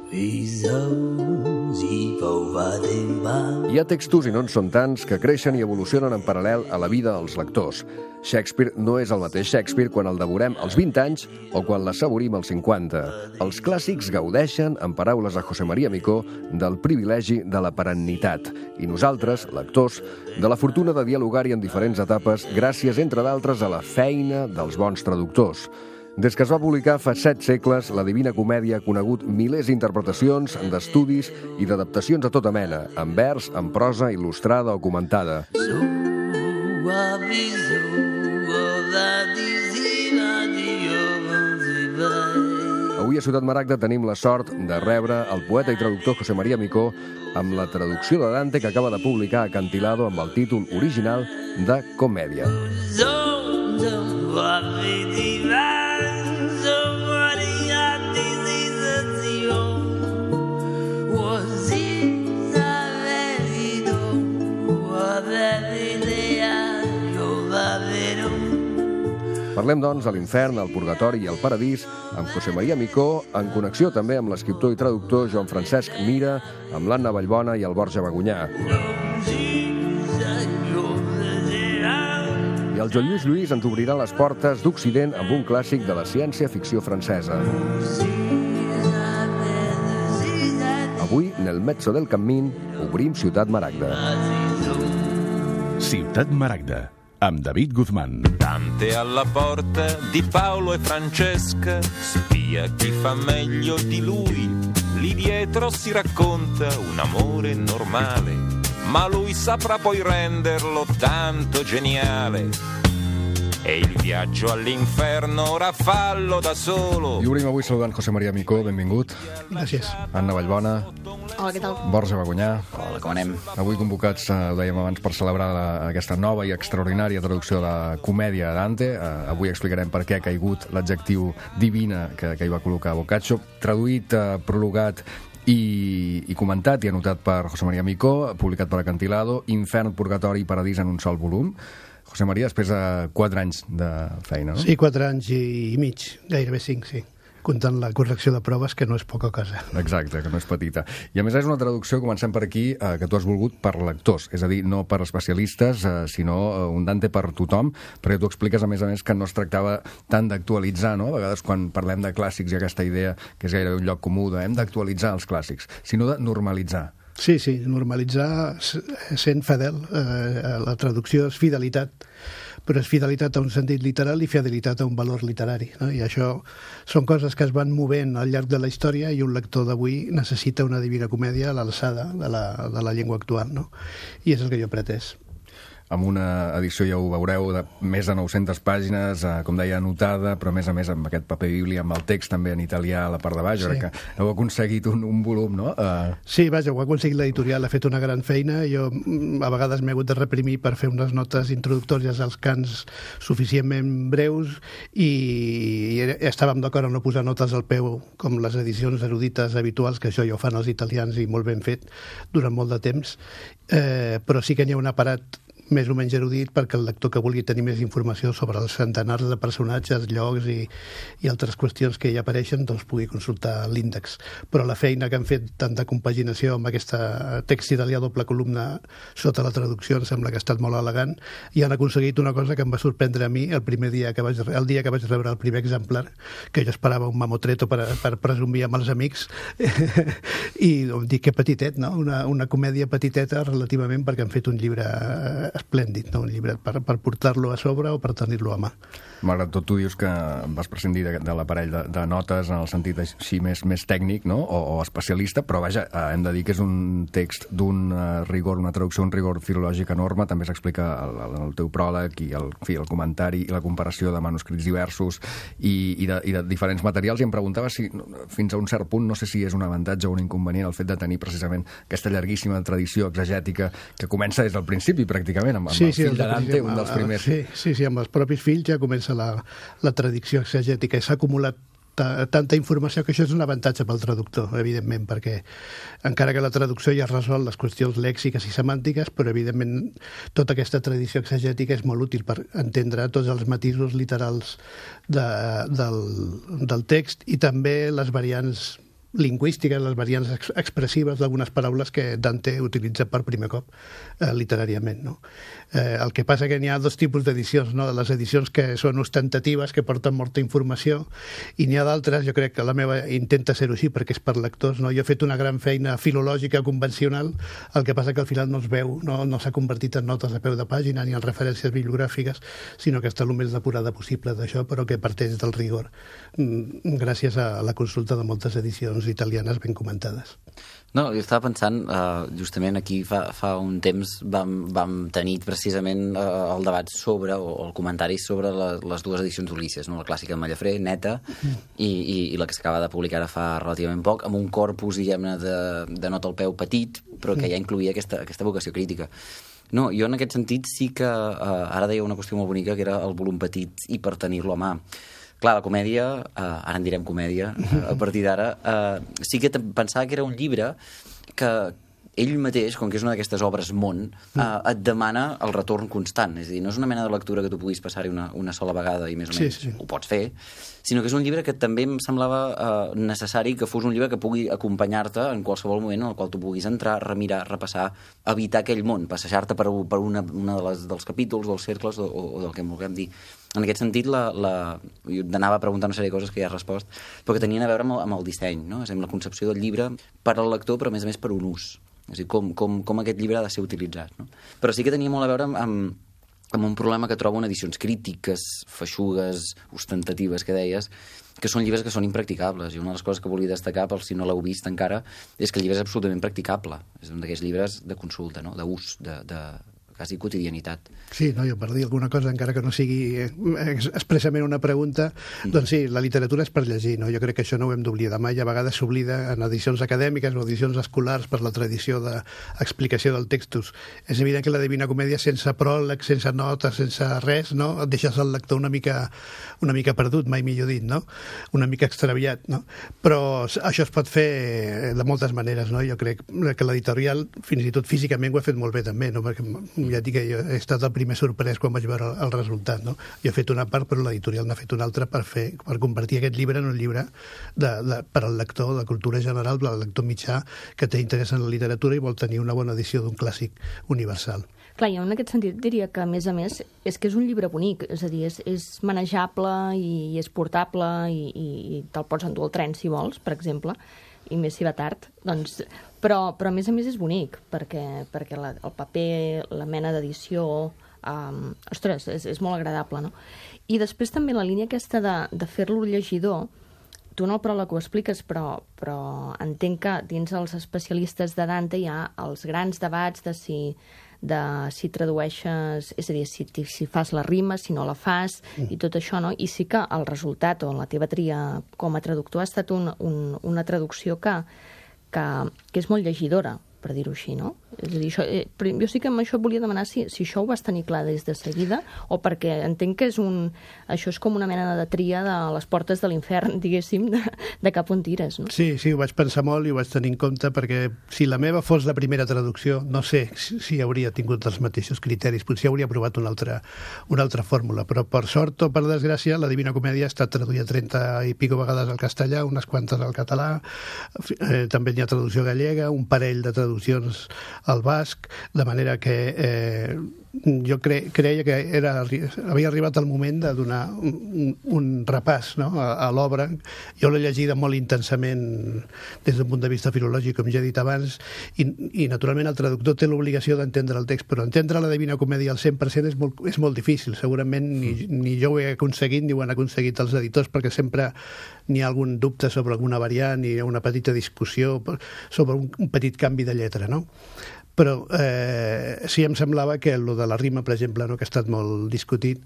Hi ha textos, i no en són tants, que creixen i evolucionen en paral·lel a la vida dels lectors. Shakespeare no és el mateix Shakespeare quan el devorem als 20 anys o quan l'assavorim als 50. Els clàssics gaudeixen, en paraules de José María Micó, del privilegi de la perennitat. I nosaltres, lectors, de la fortuna de dialogar-hi en diferents etapes gràcies, entre d'altres, a la feina dels bons traductors. Des que es va publicar fa 7 segles, la Divina Comèdia ha conegut milers d'interpretacions, d'estudis i d'adaptacions de tota mena, en vers, en prosa, il·lustrada o comentada. Avui a Ciutat Maragda tenim la sort de rebre el poeta i traductor José María Micó amb la traducció de Dante que acaba de publicar Acantilado amb el títol original de Comèdia. Parlem, doncs, de l'infern, el purgatori i el paradís amb José María Micó, en connexió també amb l'escriptor i traductor Joan Francesc Mira, amb l'Anna Vallbona i el Borja Bagonyà. I el Joan Lluís Lluís ens obrirà les portes d'Occident amb un clàssic de la ciència-ficció francesa. Avui, nel mezzo del cammin, obrim Ciutat Maragda. Ciutat Maragda, amb David Guzmán. Dante alla porta di Paolo e Francesca, spia chi fa meglio di lui. Lì dietro si racconta un amore normale, ma lui saprà poi renderlo tanto geniale. E il viaggio all'inferno ora fallo da solo. I obrim avui saludant José María Micó, benvingut. Gràcies. Anna Vallbona. Hola, què tal? Borja Bagonyà. Hola, com anem? Avui convocats, ho dèiem abans, per celebrar aquesta nova i extraordinària traducció de la comèdia de Dante. Avui explicarem per què ha caigut l'adjectiu divina que hi va col·locar Boccaccio. Traduït, prologat i comentat i anotat per José María Micó, publicat per Acantilado, Infern, Purgatori i Paradís en un sol volum. José María, després de 4 anys de feina, no? Sí, 4 anys i mig, gairebé 5, sí. Comptant la correcció de proves, que no és poca cosa. Exacte, que no és petita. I a més és una traducció, comencem per aquí, que tu has volgut per lectors, és a dir, no per especialistes, sinó un Dante per tothom, perquè tu expliques, a més, que no es tractava tant d'actualitzar, no? A vegades quan parlem de clàssics hi ha aquesta idea que és gairebé un lloc comú de hem d'actualitzar els clàssics, sinó de normalitzar. Sí, normalitzar sent fidel. La traducció és fidelitat, però és fidelitat a un sentit literal i fidelitat a un valor literari, no? I això són coses que es van movent al llarg de la història i un lector d'avui necessita una Divina Comèdia a l'alçada de la llengua actual, no? I és el que jo he pretès. Amb una edició, ja ho veureu, de més de 900 pàgines, com deia, anotada, però a més amb aquest paper bíblia, amb el text també en italià a la part de baix. Sí. Que heu aconseguit un volum, no? Sí, vaja, ho ha aconseguit l'editorial, ha fet una gran feina. Jo a vegades m'he hagut de reprimir per fer unes notes introductòries als cants suficientment breus i estàvem d'acord a no posar notes al peu com les edicions erudites habituals, que això ja ho fan els italians i molt ben fet durant molt de temps, però sí que n'hi ha un aparat més o menys erudit perquè el lector que vulgui tenir més informació sobre els centenars de personatges, llocs i altres qüestions que hi apareixen, doncs pugui consultar l'índex. Però la feina que han fet tant de compaginació amb aquest text italià doble columna sota la traducció em sembla que ha estat molt elegant i han aconseguit una cosa que em va sorprendre a mi el dia que vaig rebre el primer exemplar, que jo esperava un mamotreto per presumir amb els amics i dic que petitet, no? Una comèdia petiteta relativament, perquè han fet un llibre esplèndid, no? Un llibre per portar-lo a sobre o per tenir-lo a mà. Malgrat tot, tu dius que vas prescindir de l'aparell de notes en el sentit així més tècnic, no? O especialista, però vaja, hem de dir que és un text d'un rigor, una traducció, un rigor filològic enorme. També s'explica en el teu pròleg i el comentari i la comparació de manuscrits diversos i de diferents materials, i em preguntava si fins a un cert punt, no sé si és un avantatge o un inconvenient el fet de tenir precisament aquesta llarguíssima tradició exegètica que comença des del principi pràcticament, amb el fill de Dante, un dels primers. Sí, amb els propis fills ja comença la tradició exegètica i s'ha acumulat tanta informació que això és un avantatge pel traductor, evidentment, perquè encara que la traducció ja resol les qüestions lèxiques i semàntiques, però evidentment tota aquesta tradició exegètica és molt útil per entendre tots els matisos literals del text i també les variants lingüístiques, les variants expressives d'algunes paraules que Dante utilitza per primer cop literàriament, no? El que passa que n'hi ha dos tipus d'edicions, no? Les edicions que són ostentatives, que porten molta informació, i n'hi ha d'altres, jo crec que la meva intenta ser-ho així perquè és per lectors, no? Jo he fet una gran feina filològica convencional, el que passa que al final no es veu, no s'ha convertit en notes a peu de pàgina ni en referències bibliogràfiques, sinó que està el més depurada possible d'això, però que parteix del rigor, gràcies a la consulta de moltes edicions italianes ben comentades. No, jo estava pensant, justament aquí fa un temps vam tenir precisament el debat sobre, o el comentari sobre les dues edicions d'Ulisses, no? La clàssica de Mallafré, neta, i la que s'acaba de publicar ara fa relativament poc, amb un corpus, diguem-ne, de nota al peu petit, però que ja incluïa aquesta vocació crítica. No, jo en aquest sentit sí que ara deia una qüestió molt bonica, que era el volum petit i per tenir-lo a mà. Clar, la comèdia, ara en direm comèdia, a partir d'ara, sí que pensava que era un llibre que ell mateix, com que és una d'aquestes obres món, et demana el retorn constant. És a dir, no és una mena de lectura que tu puguis passar-hi una sola vegada i més o menys ho pots fer, sinó que és un llibre que també em semblava necessari que fos un llibre que pugui acompanyar-te en qualsevol moment en el qual tu puguis entrar, remirar, repassar, habitar aquell món, passejar-te per una dels capítols, dels cercles o del que en vulguem dir. En aquest sentit, jo anava a preguntar una sèrie de coses que ja he respost, però que tenien a veure amb el disseny, no? És a dir, la concepció del llibre per al lector, però a més per un ús. És a dir, com aquest llibre ha de ser utilitzat, no? Però sí que tenia molt a veure amb un problema que trobo en edicions crítiques, feixugues, ostentatives, que deies, que són llibres que són impracticables. I una de les coses que volia destacar, per si no l'heu vist encara, és que el llibre és absolutament practicable. És un d'aquests llibres de consulta, no? D'ús, de quasi quotidianitat. Sí, no, jo per dir alguna cosa, encara que no sigui expressament una pregunta, doncs sí, la literatura és per llegir, no? Jo crec que això no ho hem d'oblidar mai, a vegades s'oblida en edicions acadèmiques o edicions escolars per la tradició d'explicació del textos. És evident que la Divina Comèdia, sense pròleg, sense notes, sense res, no? Et deixes el lector una mica perdut, mai millor dit, no? Una mica extraviat, no? Però això es pot fer de moltes maneres, no? Jo crec que l'editorial, fins i tot físicament, ho ha fet molt bé també, no? Perquè ja dic que jo he estat el primer sorprès quan vaig veure el resultat, no? Jo he fet una part, però l'editorial n'ha fet una altra per convertir aquest llibre en un llibre per al lector de cultura general, per al lector mitjà que té interès en la literatura i vol tenir una bona edició d'un clàssic universal. Clar, jo en aquest sentit diria que, a més, és que és un llibre bonic, és a dir, és manejable i és portable i te'l pots endur al tren, si vols, per exemple, i més si va tard, doncs... Però a més és bonic, perquè el paper, la mena d'edició, ostres, és molt agradable, no? I després també la línia aquesta de fer-lo llegidor, tu en el pròleg ho expliques, però entenc que dins els especialistes de Dante hi ha els grans debats de si tradueixes, és a dir, si fas la rima, si no la fas, i tot això, no? I sí que el resultat, o la teva tria com a traductor, ha estat una traducció que és molt llegidora, per dir-ho així, no? És a dir, jo sí que amb això volia demanar si això ho vas tenir clar des de seguida, o perquè entenc que això és com una mena de tria de les portes de l'infern, diguéssim, de cap on tires, no? Sí, ho vaig pensar molt i ho vaig tenir en compte, perquè si la meva fos la primera traducció, no sé si hauria tingut els mateixos criteris, potser hauria provat una altra fórmula, però per sort o per desgràcia, la Divina Comèdia ha estat traduïda 30 i pico vegades al castellà, unes quantes al català, també hi ha traducció gallega, un parell de traduccions al basc, de manera que jo creia que havia arribat el moment de donar un repàs, no?, a l'obra. Jo l'he llegida molt intensament des d'un punt de vista filològic, com ja he dit abans, i naturalment el traductor té l'obligació d'entendre el text, però entendre la Divina Comèdia al 100% és molt difícil. Segurament ni jo ho he aconseguit ni ho han aconseguit els editors, perquè sempre n'hi ha algun dubte sobre alguna variant i una petita discussió sobre un petit canvi de lletra, no? Però sí em semblava que el de la rima, per exemple, no, que ha estat molt discutit,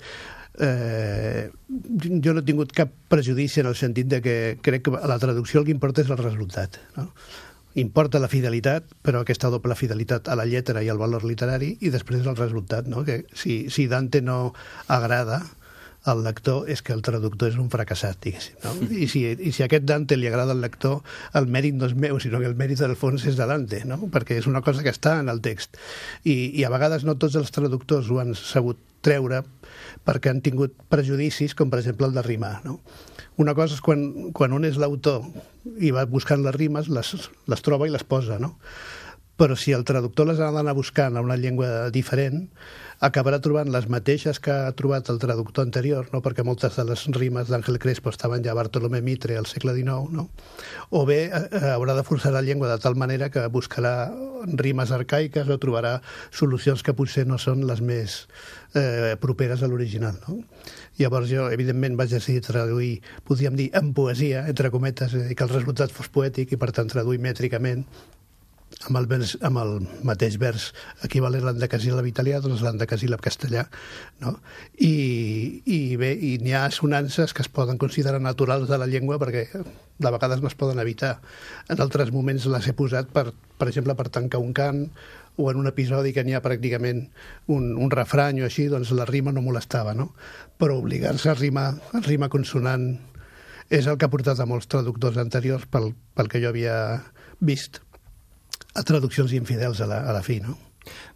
jo no he tingut cap prejudici en el sentit de que crec que a la traducció el que importa és el resultat, no? Importa la fidelitat, però aquesta doble fidelitat a la lletra i al valor literari, i després el resultat, no? Que si Dante no agrada, al lector és que el traductor és un fracassat, diguéssim, no? I si a aquest Dante li agrada al lector, el mèrit no és meu, sinó que el mèrit del fons és de Dante, no? Perquè és una cosa que està en el text. I a vegades no tots els traductors ho han sabut treure perquè han tingut prejudicis, com per exemple el de rimar, no? Una cosa és quan un és l'autor i va buscant les rimes, les troba i les posa, no? Però si el traductor les ha d'anar buscant en una llengua diferent, acabarà trobant les mateixes que ha trobat el traductor anterior, no? Perquè moltes de les rimes d'Àngel Crespo estaven ja a Bartolomé Mitre al segle XIX, no? O bé haurà de forçar la llengua de tal manera que buscarà rimes arcaiques o trobarà solucions que potser no són les més properes a l'original, no? Llavors jo, evidentment, vaig decidir traduir, podríem dir, en poesia, entre cometes, i que el resultat fos poètic i, per tant, traduir mètricament amb el mateix vers equivalent a l'endecasíl·lab italià, doncs l'endecasíl·lab castellà, no? I bé, n'hi ha assonances que es poden considerar naturals de la llengua perquè de vegades no es poden evitar. En altres moments les he posat, per exemple, per tancar un cant, o en un episodi que n'hi ha pràcticament un refrany o així, doncs la rima no molestava, no? Però obligar-se a rima consonant és el que ha portat a molts traductors anteriors, pel que jo havia vist, a traduccions infidels a la fi, no?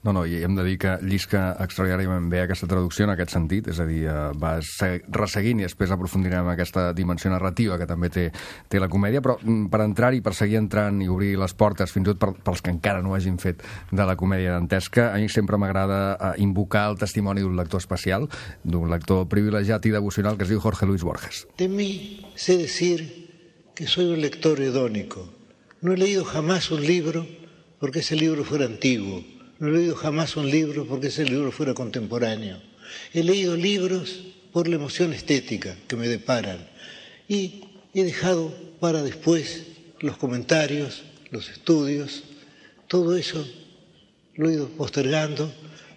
No, i hem de dir que llisca extraordinàriament bé aquesta traducció en aquest sentit, és a dir, vas resseguint i després aprofundirem en aquesta dimensió narrativa que també té la comèdia, però per entrar-hi, per seguir entrant i obrir les portes, fins i tot pels que encara no hagin fet de la comèdia dantesca, a mi sempre m'agrada invocar el testimoni d'un lector especial, d'un lector privilegiat i devocional que es diu Jorge Luis Borges. De mí sé decir que soy un lector hedónico. No he leído jamás un libro porque ese libro fuera antiguo. No he leído jamás un libro porque ese libro fuera contemporáneo. He leído libros por la emoción estética que me deparan y he dejado para después los comentarios, los estudios, todo eso lo he ido postergando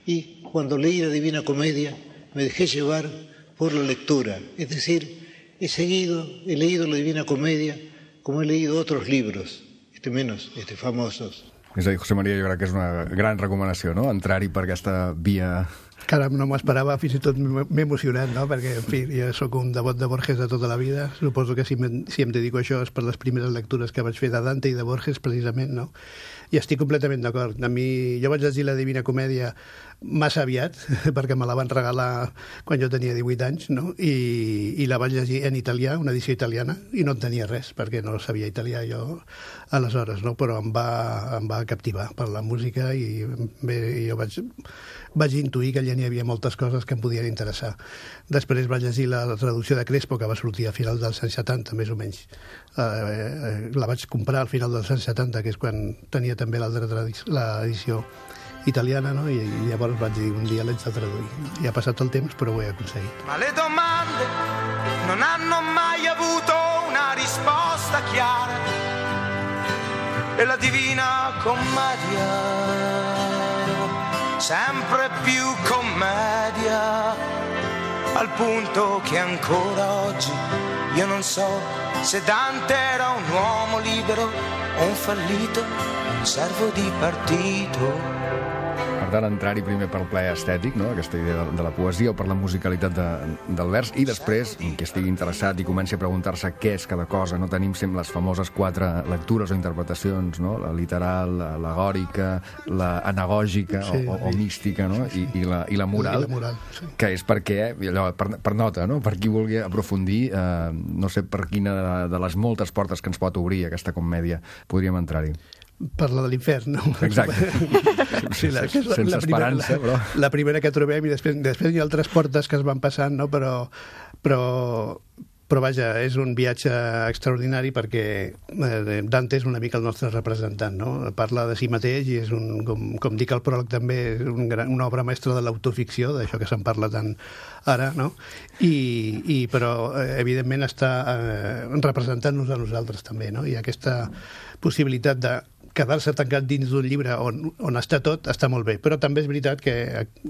y cuando leí la Divina Comedia me dejé llevar por la lectura. Es decir, he leído la Divina Comedia como he leído otros libros, menos famosos. És a dir, José María, jo crec que és una gran recomanació, no?, entrar-hi per aquesta via. Caram, no m'ho esperava, fins i tot m'he emocionat, no?, perquè, en fi, jo sóc un devot de Borges de tota la vida, suposo que si em dedico a això és per les primeres lectures que vaig fer de Dante i de Borges, precisament, no?, i estic completament d'acord. A mi, jo vaig llegir la Divina Comèdia massa aviat, perquè me la van regalar quan jo tenia 18 anys, no?, i la vaig llegir en italià, una edició italiana, i no entenia res, perquè no sabia italià jo aleshores, no?, però em va captivar per la música i bé, jo vaig intuir que allà n'hi havia moltes coses que em podien interessar. Després vaig llegir la traducció de Crespo, que va sortir a final dels anys 70, més o menys. La vaig comprar al final dels anys 70, que és quan tenia també l'edició italiana, no? I llavors vaig dir, un dia l'haig de traduir. I ha passat el temps, però ho he aconseguit. Ma le domande non hanno mai avuto una risposta chiara e la Divina Commedia sempre più commedia, al punto che ancora oggi io non so se Dante era un uomo libero o un fallito, un servo di partito. Per tant, entrar-hi primer pel plaer estètic, no?, aquesta idea de la poesia o per la musicalitat del vers, i després, que estigui interessat i comenci a preguntar-se què és cada cosa, no tenim sempre les famoses 4 lectures o interpretacions, no?, la literal, l'al·legòrica, l'anagògica o mística, no?, i la moral, sí. Que és perquè, allò, per nota, no?, per qui vulgui aprofundir, no sé per quina de les moltes portes que ens pot obrir aquesta comèdia podríem entrar-hi. Per la de l'infern, no? Exacte. Sí, sense esperança, però... La primera que trobem, i després hi ha altres portes que es van passant, no? Però vaja, és un viatge extraordinari perquè Dante és una mica el nostre representant, no? Parla de si mateix i és com dic al pròleg també, és una obra mestra de l'autoficció, d'això que se'n parla tant ara, no? Però evidentment està representant-nos a nosaltres també, no? I aquesta possibilitat de quedar-se tancat dins d'un llibre on està tot, està molt bé. Però també és veritat que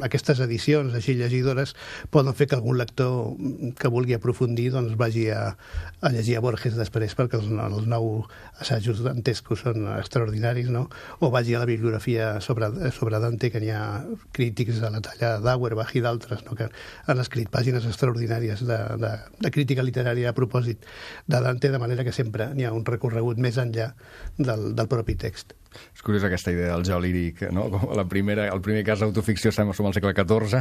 aquestes edicions així llegidores poden fer que algun lector que vulgui aprofundir doncs vagi a llegir a Borges després, perquè els 9 assajos dantescos són extraordinaris, no? O vagi a la bibliografia sobre Dante, que n'hi ha crítics de la talla d'Auerbach i d'altres, no? Que han escrit pàgines extraordinàries de crítica literària a propòsit de Dante, de manera que sempre n'hi ha un recorregut més enllà del propi text. És curiós aquesta idea del jo líric, no? Com el primer cas d'autoficció som al segle XIV,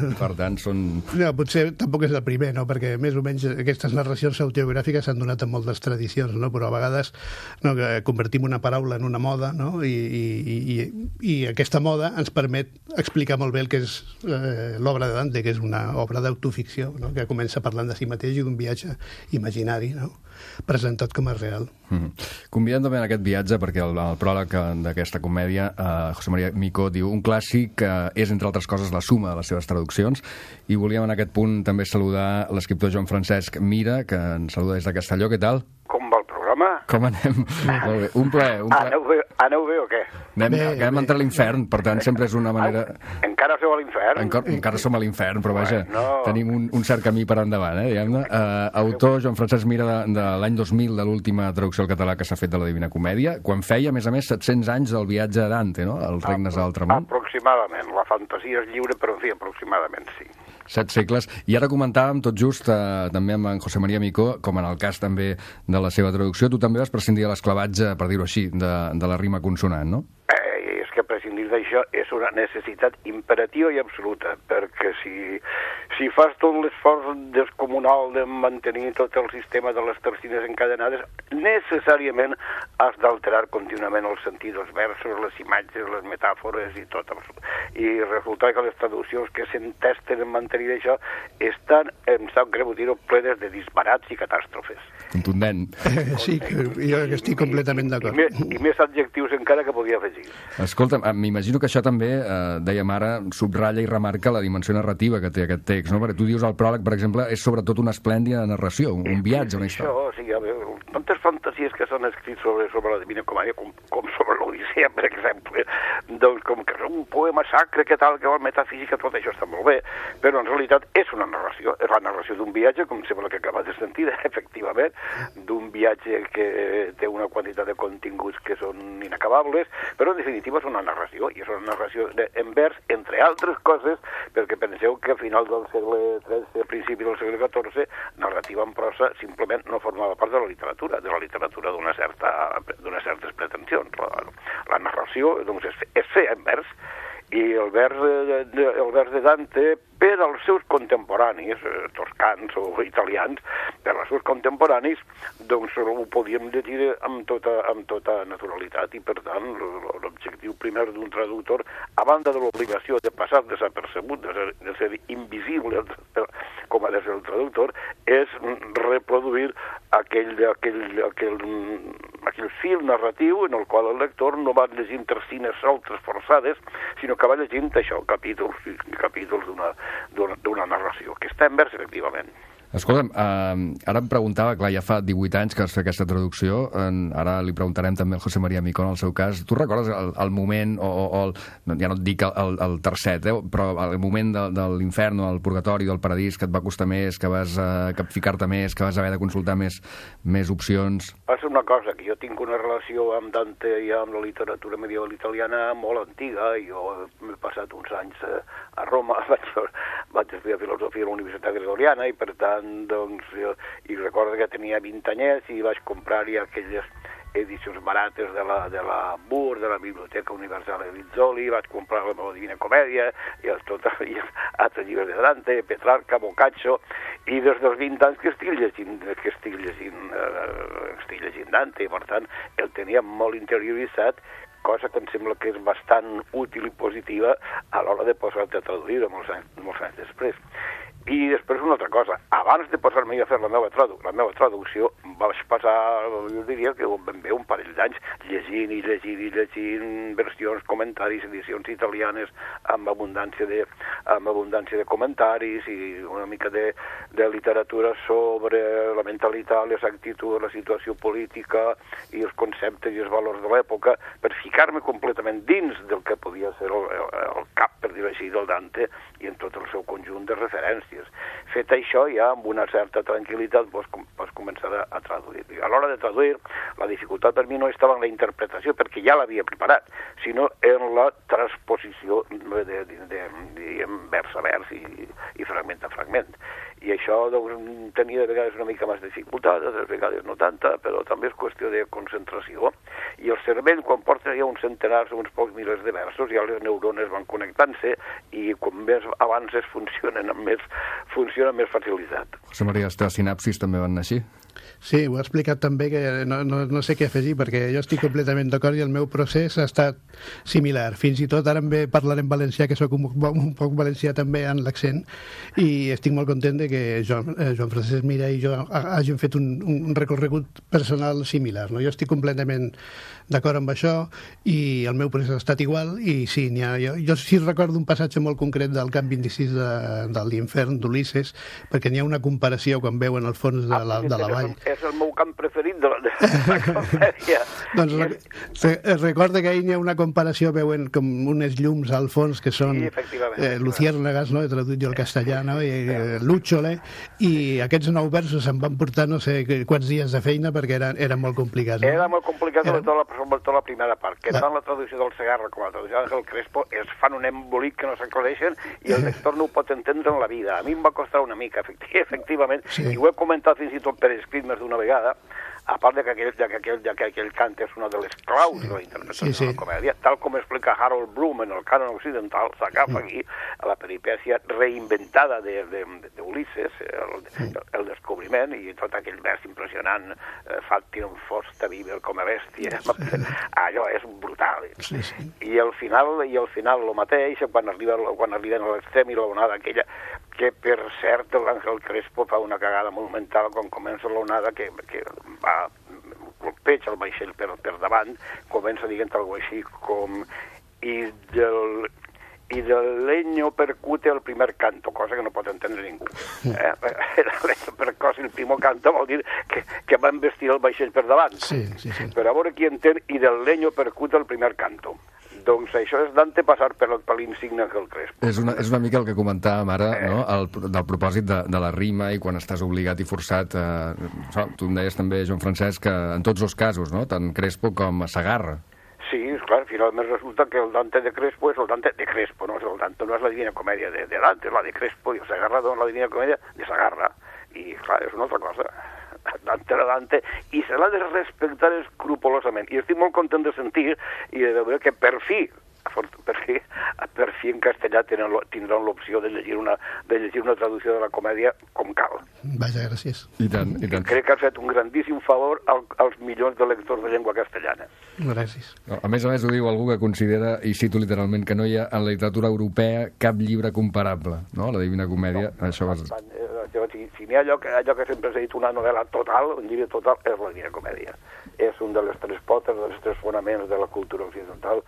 i per tant són... No, potser tampoc és el primer, no? Perquè més o menys aquestes narracions autobiogràfiques s'han donat en moltes tradicions, no? Però a vegades que convertim una paraula en una moda, no? I aquesta moda ens permet explicar molt bé el que és l'obra de Dante, que és una obra d'autoficció, no? Que comença parlant de si mateix i d'un viatge imaginari, no? Presentat com a real. Convidem també en aquest viatge, perquè el pròleg d'aquesta comèdia, José María Micó diu: un clàssic és, entre altres coses, la suma de les seves traduccions, i volíem en aquest punt també saludar l'escriptor Joan Francesc Mira, que ens saluda des de Castelló. Què tal? Com va el programa? Com anem? Molt bé. Un plaer. Aneu bé o què? Anem a entrar a l'infern, per tant sempre és una manera... Encara sou a l'infern? Encara som a l'infern, però vaja, tenim un cert camí per endavant, diguem-ne. Autor Joan Francesc Mira de l'any 2000, de l'última traducció al català que s'ha fet de la Divina Comèdia, quan feia, a més 700 anys del viatge a Dante, no?, als regnes de l'altre món. Aproximadament. La fantasia és lliure, però en fi, aproximadament sí. 7 segles. I ara comentàvem tot just també amb en José María Micó, com en el cas també de la seva traducció, tu també vas prescindir de l'esclavatge, per dir-ho així, de la rima consonant, no? És que prescindir d'això és una necessitat imperativa i absoluta, perquè si fas tot l'esforç descomunal de mantenir tot el sistema de les tercines encadenades, necessàriament has d'alterar contínuament el sentit dels versos, les imatges, les metàfores i tot. I resulta que les traduccions que s'entesten en mantenir això estan, em sap greu dir-ho, plenes de disbarats i catàstrofes. Contundent. Sí, jo estic completament d'acord. I més adjectius encara que podia afegir. Escolta, m'imagino que això també, dèiem ara, subratlla i remarca la dimensió narrativa que té aquest text, no? Perquè tu dius el pròleg, per exemple, és sobretot una esplèndida narració, un viatge, una història. Això, sí, a veure, tantes fantasies que s'han escrit sobre la Divina Comèdia, com sobre l'Odissea, per exemple, doncs com que és un poema sacre, que tal, que la metafísica, tot això està molt bé, però en realitat és una narració, és la narració d'un viatge, com sembla que acabes de sentir, efectivament, d'un viatge que té una quantitat de continguts que són inacabables, però en definitiva és una narració, i és una narració en vers, entre altres coses, perquè penseu que a final del segle XIII, a principi del segle XIV, narrativa en prosa simplement no formava part de la literatura d'unes certes pretensions. La narració doncs, és fer en vers, i el vers de Dante, per als seus contemporanis, toscans o italians, per als seus contemporanis, doncs ho podíem llegir amb tota naturalitat, i per tant l'objectiu primer d'un traductor, a banda de l'obligació de passar desapercebut, de ser invisible com ha de ser el traductor, és reproduir aquell fil narratiu en el qual el lector no va llegint tercines soltes forçades, sinó que va llegint això, capítols d'una narració, que està en vers, efectivament. Escolta'm, ara em preguntava, clar, ja fa 18 anys que vas fer aquesta traducció, ara li preguntarem també al José María Micó en el seu cas. Tu recordes el moment, ja no et dic el tercet, però el moment de l'infern o el purgatori, del paradís, que et va costar més, que vas capficar-te més, que vas haver de consultar més opcions? És una cosa, que jo tinc una relació amb Dante i amb la literatura medieval italiana molt antiga. Jo m'he passat uns anys a Roma, vaig estudiar filosofia a la Universitat Gregoriana, i per tant, doncs, i recordo que tenia 20 anyets i vaig comprar-hi aquelles edicions barates de la BUR, de la Biblioteca Universal de Rizzoli, vaig comprar la meva Divina Comèdia i altres llibres de Dante, Petrarca, Boccaccio, i des dels 20 anys que estic llegint Dante, i per tant el tenia molt interioritzat, cosa que em sembla que és bastant útil i positiva a l'hora de posar-te a traduir molts anys després. I després una altra cosa, abans de posar-me a fer la meva traducció, vaig passar, jo diria que ben bé un parell d'anys llegint versions, comentaris, edicions italianes amb abundància de comentaris i una mica de literatura sobre la mentalitat, les actituds, la situació política i els conceptes i els valors de l'època, per ficar-me completament dins del que podia ser el cap, per dir-ho així, del Dante i en tot el seu conjunt de referències. Fet això, ja amb una certa tranquil·litat pots començar a traduir. I a l'hora de traduir, la dificultat per mi no estava en la interpretació, perquè ja l'havia preparat, sinó en la transposició de vers a vers i fragment a fragment. I això tenia de vegades una mica més de dificultat, de vegades no tanta, però també és qüestió de concentració. I el cervell, quan porta ja uns centenars o uns pocs milers de versos, ja les neurones van connectant-se i com més avances funcionen amb més facilitat. José María, les teves sinapsis també van anar així? Sí, ho ha explicat també, que no sé què afegir, perquè jo estic completament d'acord i el meu procés ha estat similar. Fins i tot ara em ve parlar en valencià, que soc un poc valencià també en l'accent, i estic molt content de que Joan Francesc Mira i jo hàgim fet un recorregut personal similar. No? Jo estic completament d'acord amb això i el meu procés ha estat igual, i sí, jo sí recordo un passatge molt concret del Camp 26 de l'Infern d'Ulisses, perquè n'hi ha una comparació quan veuen el fons de la vall. És el meu camp preferit de la comèdia. Doncs recorda que ahir n'hi ha una comparació, veuen com unes llums al fons que són luciérnagas, no? He traduït jo al castellà, no? I lúchole, i aquests 9 versos em van portar no sé quants dies de feina perquè eren molt complicats. No? Era molt complicat, sobretot la primera part, que tant la traducció del Segarra com la traducció d'Àngel Crespo es fan un embolic que no s'aclareixen i el lector no ho pot entendre en la vida. A mi em va costar una mica, efectivament, i ho he comentat fins i tot per escrit més d'una vegada, a part que aquell cant és una de les claus de la interpretació de la comèdia, tal com explica Harold Bloom en el cànon occidental, s'agafa aquí a la peripècia reinventada d'Ulisses, el descobriment, i tot aquell vers impressionant, Factinum fosta viver come bestia, allò és brutal. I al final el mateix, quan arriben a l'extrem i l'onada aquella, que per cert l'Àngel Crespo fa una cagada monumental quan comença l'onada que va colpeja el vaixell per davant, comença dient alguna cosa així com i del leño percute el primer canto, cosa que no pot entendre ningú. El leño percute el primer canto vol dir que va investir el vaixell per davant. Però a veure qui entén i del leño percute el primer canto. Doncs això és Dante passar per l'insigne Àngel Crespo. És una mica el que comentàvem ara, no? Del propòsit de la rima i quan estàs obligat i forçat. Tu em deies també, Joan Francesc, que en tots els casos, no? Tant Crespo com Segarra. Sí, clar, finalment resulta que el Dante de Crespo és el Dante de Crespo, no és el Dante, no és la Divina Comèdia de Dante, és la de Crespo, i el Segarra és la Divina Comèdia de Segarra. I clar, és una altra cosa. Dante era Dante, i se l'ha de respectar escrupolosament. I estic molt content de sentir i de veure que per fi en castellà tindran l'opció de llegir una traducció de la comèdia com cal. Vaja, gràcies. I tant. Crec que has fet un grandíssim favor als milions de lectors de llengua castellana. Gràcies. A més, ho diu algú que considera, i cito literalment, que no hi ha en la literatura europea cap llibre comparable, no? La Divina Comèdia, això va... Si n'hi ha allò que sempre s'ha dit una novel·la total, un llibre total, és la Divina Comèdia. És un de les 3 potes, dels 3 fonaments de la cultura occidental,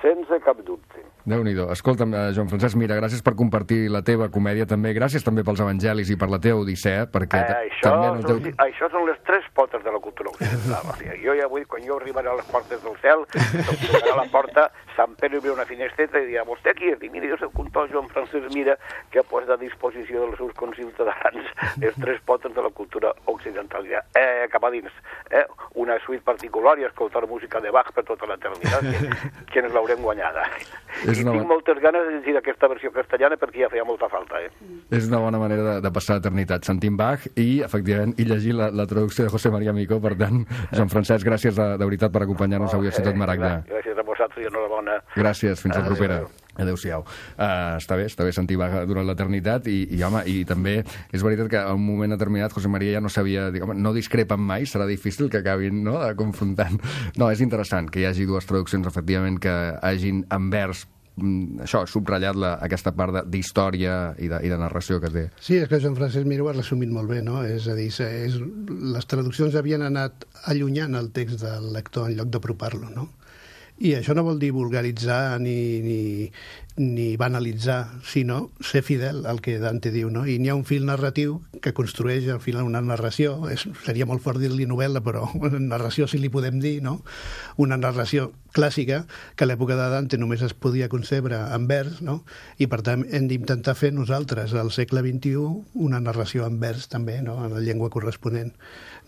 sense cap dubte. Déu-n'hi-do. Escolta'm, Joan Francesc Mira, gràcies per compartir la teva comèdia també, gràcies també pels evangelis i per la teva odissea, perquè això són les 3 potes de la cultura occidental. O sigui, jo ja vull, quan jo arribaré a les portes del cel, tocarà la porta, Sant Pere obrirà una finestreta i dirà, vostè qui és? I mira, jo soc un tal Joan Francesc Mira que ha posat a disposició dels seus conciutadans les 3 potes de la cultura occidental. Ja, cap a dins. Una suite particular i escoltar música de Bach per tota l'eternitat, que ens l'haurem guanyada. I tinc moltes ganes de llegir aquesta versió castellana perquè ja feia molta falta. És una bona manera de passar l'eternitat, sentint Bach i, efectivament, i llegir la traducció de José María Micó. Per tant, Joan Francesc, gràcies de veritat per acompanyar-nos avui a Ciutat Maragda. Gràcies a vosaltres i enhorabona. Gràcies, fins la propera. Adéu-siau. Està bé sentir Bach durant l'eternitat i home, i també és veritat que a un moment determinat José María ja no sabia, no discrepen mai, serà difícil que acabin confrontant. No, és interessant que hi hagi 2 traduccions, efectivament, que hagin en vers això, subratllat aquesta part d'història i de narració que té. Sí, és que Joan Francesc Miró ho ha resumit molt bé, no? És a dir, les traduccions havien anat allunyant el text del lector en lloc d'apropar-lo, no? I això no vol dir vulgaritzar ni banalitzar, sinó ser fidel al que Dante diu, no? I n'hi ha un fil narratiu que construeix al final una narració, seria molt fort dir-li novel·la, però una narració sí li podem dir, no? Una narració clàssica que a l'època de Dante només es podia concebre en vers, no? I per tant hem d'intentar fer nosaltres al segle XXI una narració en vers també, no? En la llengua corresponent.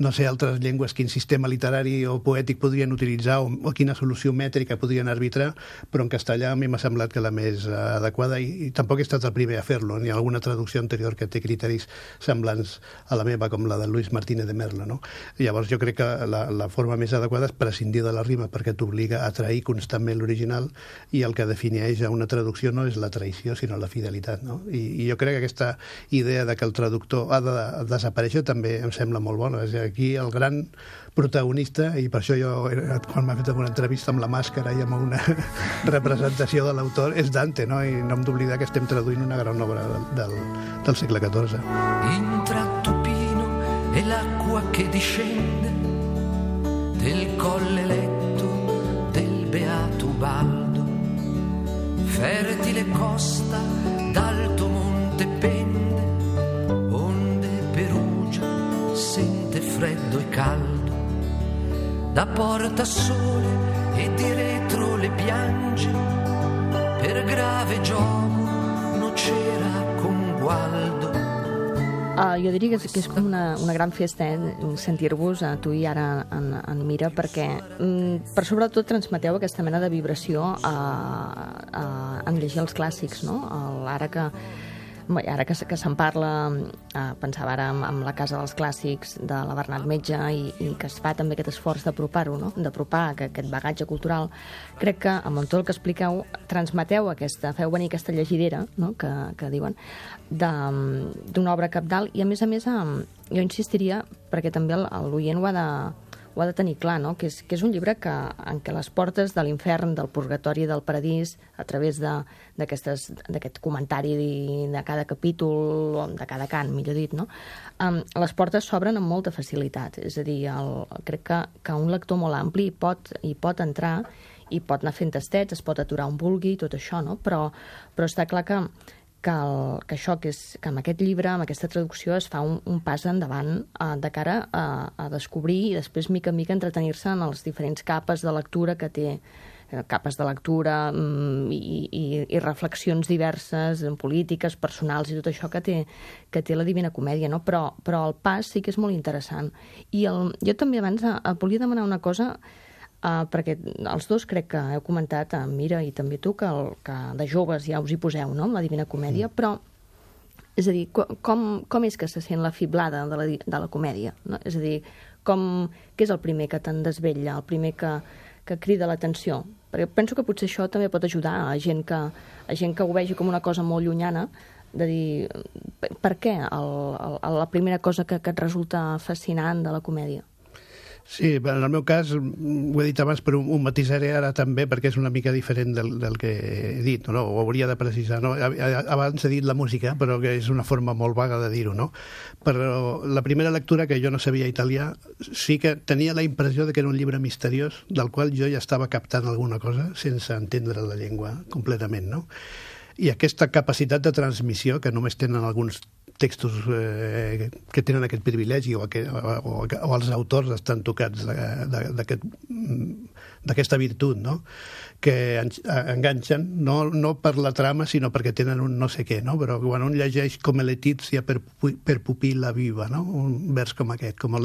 No sé altres llengües quin sistema literari o poètic podrien utilitzar o quina solució mètrica podrien arbitrar, però en castellà a mi m'ha semblat que la més adequada, i tampoc he estat el primer a fer-lo, ni alguna traducció anterior que té criteris semblants a la meva, com la de Luis Martínez de Merlo, no? Llavors jo crec que la forma més adequada és prescindir de la rima, perquè t'obliga a trair constantment l'original, i el que defineix a una traducció no és la traïció, sinó la fidelitat, no? I jo crec que aquesta idea de que el traductor ha de desaparèixer també em sembla molt bona. És aquí el gran protagonista, i per això jo, quan m'ha fet alguna entrevista amb la màscara i amb una representació de l'autor, és Dante, no? I no hem d'oblidar que estem traduint una gran obra del segle XIV. Intratto pino e l'acqua che discende del colle letto del beato Ubaldo, fertile costa d'alto monte pende, onde Perugia sente freddo e caldo, da porta sole e di retro le piange, per grave gioco no c'era con Gualdo. Jo diria que és com una gran festa sentir-vos a tu i ara en Mira, perquè per sobretot transmeteu aquesta mena de vibració en llegir els clàssics, no? Ara que se'n parla, pensava ara en la Casa dels Clàssics de la Bernat Metge, i que es fa també aquest esforç d'apropar-ho, no? D'apropar aquest bagatge cultural. Crec que amb tot el que expliqueu transmeteu feu venir aquesta llegidera, no? que diuen, d'una obra cabdal, i a més jo insistiria, perquè també l'oient ho ha de tenir clar, no? Que és un llibre en què les portes de l'infern, del purgatori i del paradís, a través d'aquest comentari de cada capítol, o de cada cant, millor dit, no? Les portes s'obren amb molta facilitat. És a dir, crec que un lector molt ampli hi pot entrar, i pot anar fent tastets, es pot aturar on vulgui, tot això, no? Però està clar que amb aquest llibre, amb aquesta traducció, es fa un pas endavant de cara a descobrir i després, mica en mica, entretenir-se en les diferents capes de lectura que té, capes de lectura i reflexions diverses, polítiques, personals, i tot això que té la Divina Comèdia, no? Però el pas sí que és molt interessant. I jo també abans volia demanar una cosa, perquè els dos crec que heu comentat, Mira, i també tu, que de joves ja us hi poseu, no?, amb la Divina Comèdia, però, és a dir, com és que se sent la fiblada de la comèdia, no? És a dir, què és el primer que te'n desvetlla, el primer que crida l'atenció? Perquè penso que potser això també pot ajudar a gent que ho vegi com una cosa molt llunyana, de dir, per què la primera cosa que et resulta fascinant de la comèdia? Sí, en el meu cas, ho he dit abans, però ho matisaré ara també, perquè és una mica diferent del que he dit, no? Ho hauria de precisar, no? Abans he dit la música, però que és una forma molt vaga de dir-ho, no? Però la primera lectura, que jo no sabia italià, sí que tenia la impressió de que era un llibre misteriós, del qual jo ja estava captant alguna cosa sense entendre la llengua completament, no? I aquesta capacitat de transmissió, que només tenen alguns textos que tenen aquest privilegi, o els autors estan tocats d'aquesta virtut, no?, que enganxen, no per la trama, sinó perquè tenen un no sé què, no? Però quan un llegeix com Letizia per pupil·la viva, no?, un vers com aquest, com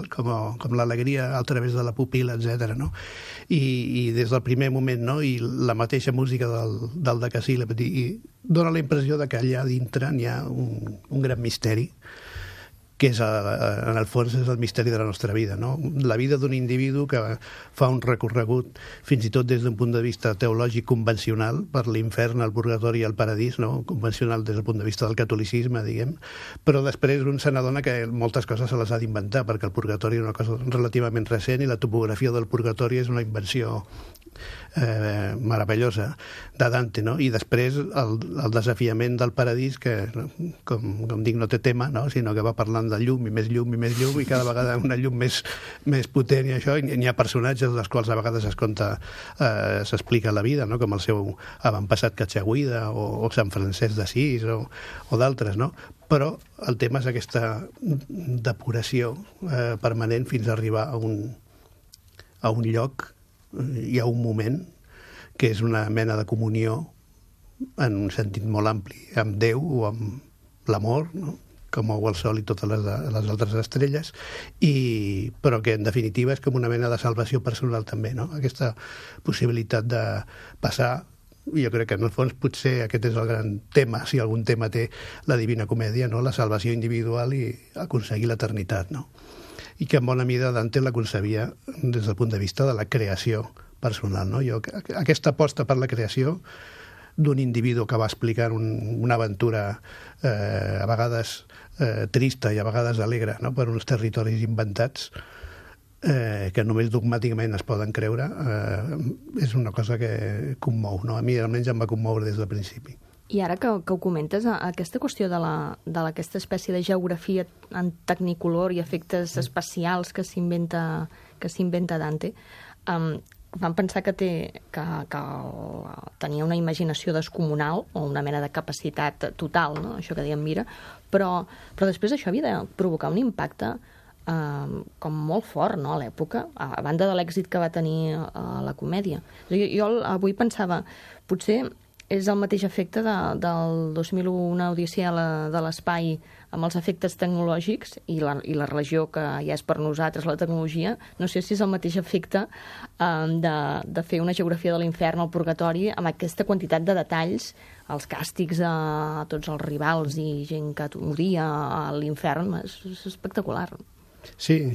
l'alegria a través de la pupil·la, etc., no? I des del primer moment, no?, i la mateixa música del decasíl·lab, i dona la impressió de que allà dintre n'hi ha un gran misteri que és, en el fons, és el misteri de la nostra vida, no? La vida d'un individu que fa un recorregut, fins i tot des d'un punt de vista teològic convencional, per l'infern, el purgatori i el paradís, no? Convencional des del punt de vista del catolicisme, diguem, però després un se n'adona que moltes coses se les ha d'inventar, perquè el purgatori és una cosa relativament recent i la topografia del purgatori és una invenció meravellosa de Dante, no? I després el desafiament del paradís, que com dic no té tema, no? Sinó que va parlant de llum i més llum i més llum, i cada vegada una llum més potent, i això, i n'hi ha personatges dels quals a vegades s'explica la vida, no? Com el seu avantpassat Cachagüida o Sant Francesc d'Assís o d'altres, no? Però el tema és aquesta depuració permanent fins a arribar a un lloc i a un moment que és una mena de comunió en un sentit molt ampli amb Déu o amb l'amor, no? Que mou el sol i totes les altres estrelles, però que en definitiva és com una mena de salvació personal també, no? Aquesta possibilitat de passar, jo crec que en el fons potser aquest és el gran tema, si algun tema té la Divina Comèdia, no? La salvació individual i aconseguir l'eternitat, no? I que en bona mida Dante la concebia des del punt de vista de la creació personal, no? Aquesta aposta per la creació d'un individu que va explicant una aventura a vegades trista i a vegades alegre, no? Per uns territoris inventats que només dogmàticament es poden creure, és una cosa que commou, no? A mi almenys em va commoure des del principi. I ara que ho comentes, aquesta qüestió d'aquesta espècie de geografia en tecnicolor i efectes especials que s'inventa Dante, vam pensar que tenia una imaginació descomunal o una mena de capacitat total, no? Això que dèiem Mira, però després això havia de provocar un impacte com molt fort, no?, a l'època, a banda de l'èxit que va tenir la comèdia. Jo avui pensava, potser és el mateix efecte del 2001, una odissea de l'espai, amb els efectes tecnològics i la religió, que ja és per nosaltres la tecnologia. No sé si és el mateix efecte de fer una geografia de l'infern al purgatori amb aquesta quantitat de detalls, els càstigs a tots els rivals i gent que moria a l'infern. És espectacular. Sí, em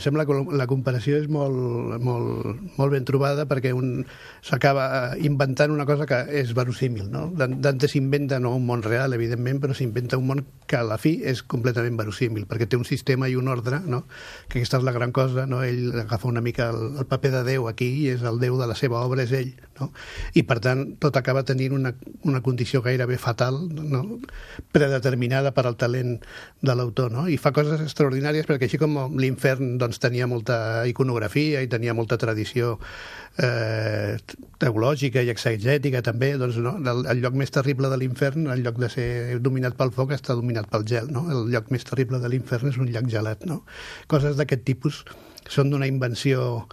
sembla que la comparació és molt ben trobada, perquè un s'acaba inventant una cosa que és verosímil, no? Dante s'inventa no un món real, evidentment, però s'inventa un món que a la fi és completament verosímil, perquè té un sistema i un ordre, no? Que aquesta és la gran cosa, no? Ell agafa una mica el paper de Déu aquí, i és el Déu de la seva obra, és ell, no? I per tant tot acaba tenint una condició gairebé fatal, no? Predeterminada per al talent de l'autor, no? I fa coses extraordinàries, perquè així com l'infern doncs, tenia molta iconografia i tenia molta tradició teològica i exegètica també, doncs, no? El lloc més terrible de l'infern, en lloc de ser dominat pel foc, està dominat pel gel, no? El lloc més terrible de l'infern és un llac gelat, no? Coses d'aquest tipus són d'una invenció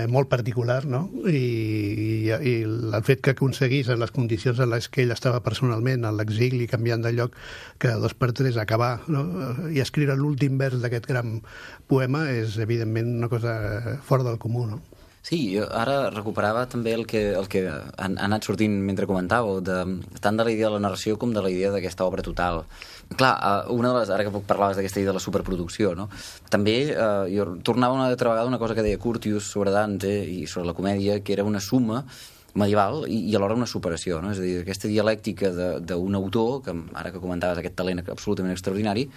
molt particular, no? I el fet que aconseguís en les condicions en les que ell estava personalment, a l'exili, canviant de lloc cada 2 per 3, acabar, no? I escriure l'últim vers d'aquest gran poema és evidentment una cosa fora del comú, no? Sí, jo ara recuperava també el que ha anat sortint mentre comentàveu, tant de la idea de la narració com de la idea d'aquesta obra total. Clar, una de les, ara que parlaves d'aquesta idea de la superproducció, no? També jo tornava una altra vegada una cosa que deia Curtius sobre Dante i sobre la comèdia, que era una suma medieval i alhora una superació, no? És a dir, aquesta dialèctica d'un autor, que ara que comentaves aquest talent absolutament extraordinari,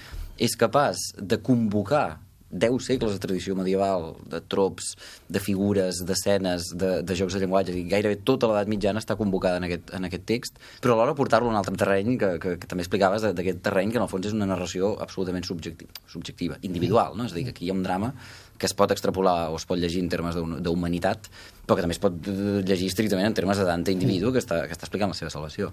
és capaç de convocar 10 segles de tradició medieval, de trops, de figures, d'escenes, de jocs de llenguatge, i gairebé tota l'edat mitjana està convocada en aquest text, però alhora portar-lo a un altre terreny que també explicaves, d'aquest terreny que en el fons és una narració absolutament subjectiva, individual, no? És a dir, que aquí hi ha un drama que es pot extrapolar o es pot llegir en termes d'humanitat, però que també es pot llegir estrictament en termes de Dante individu que està explicant la seva salvació.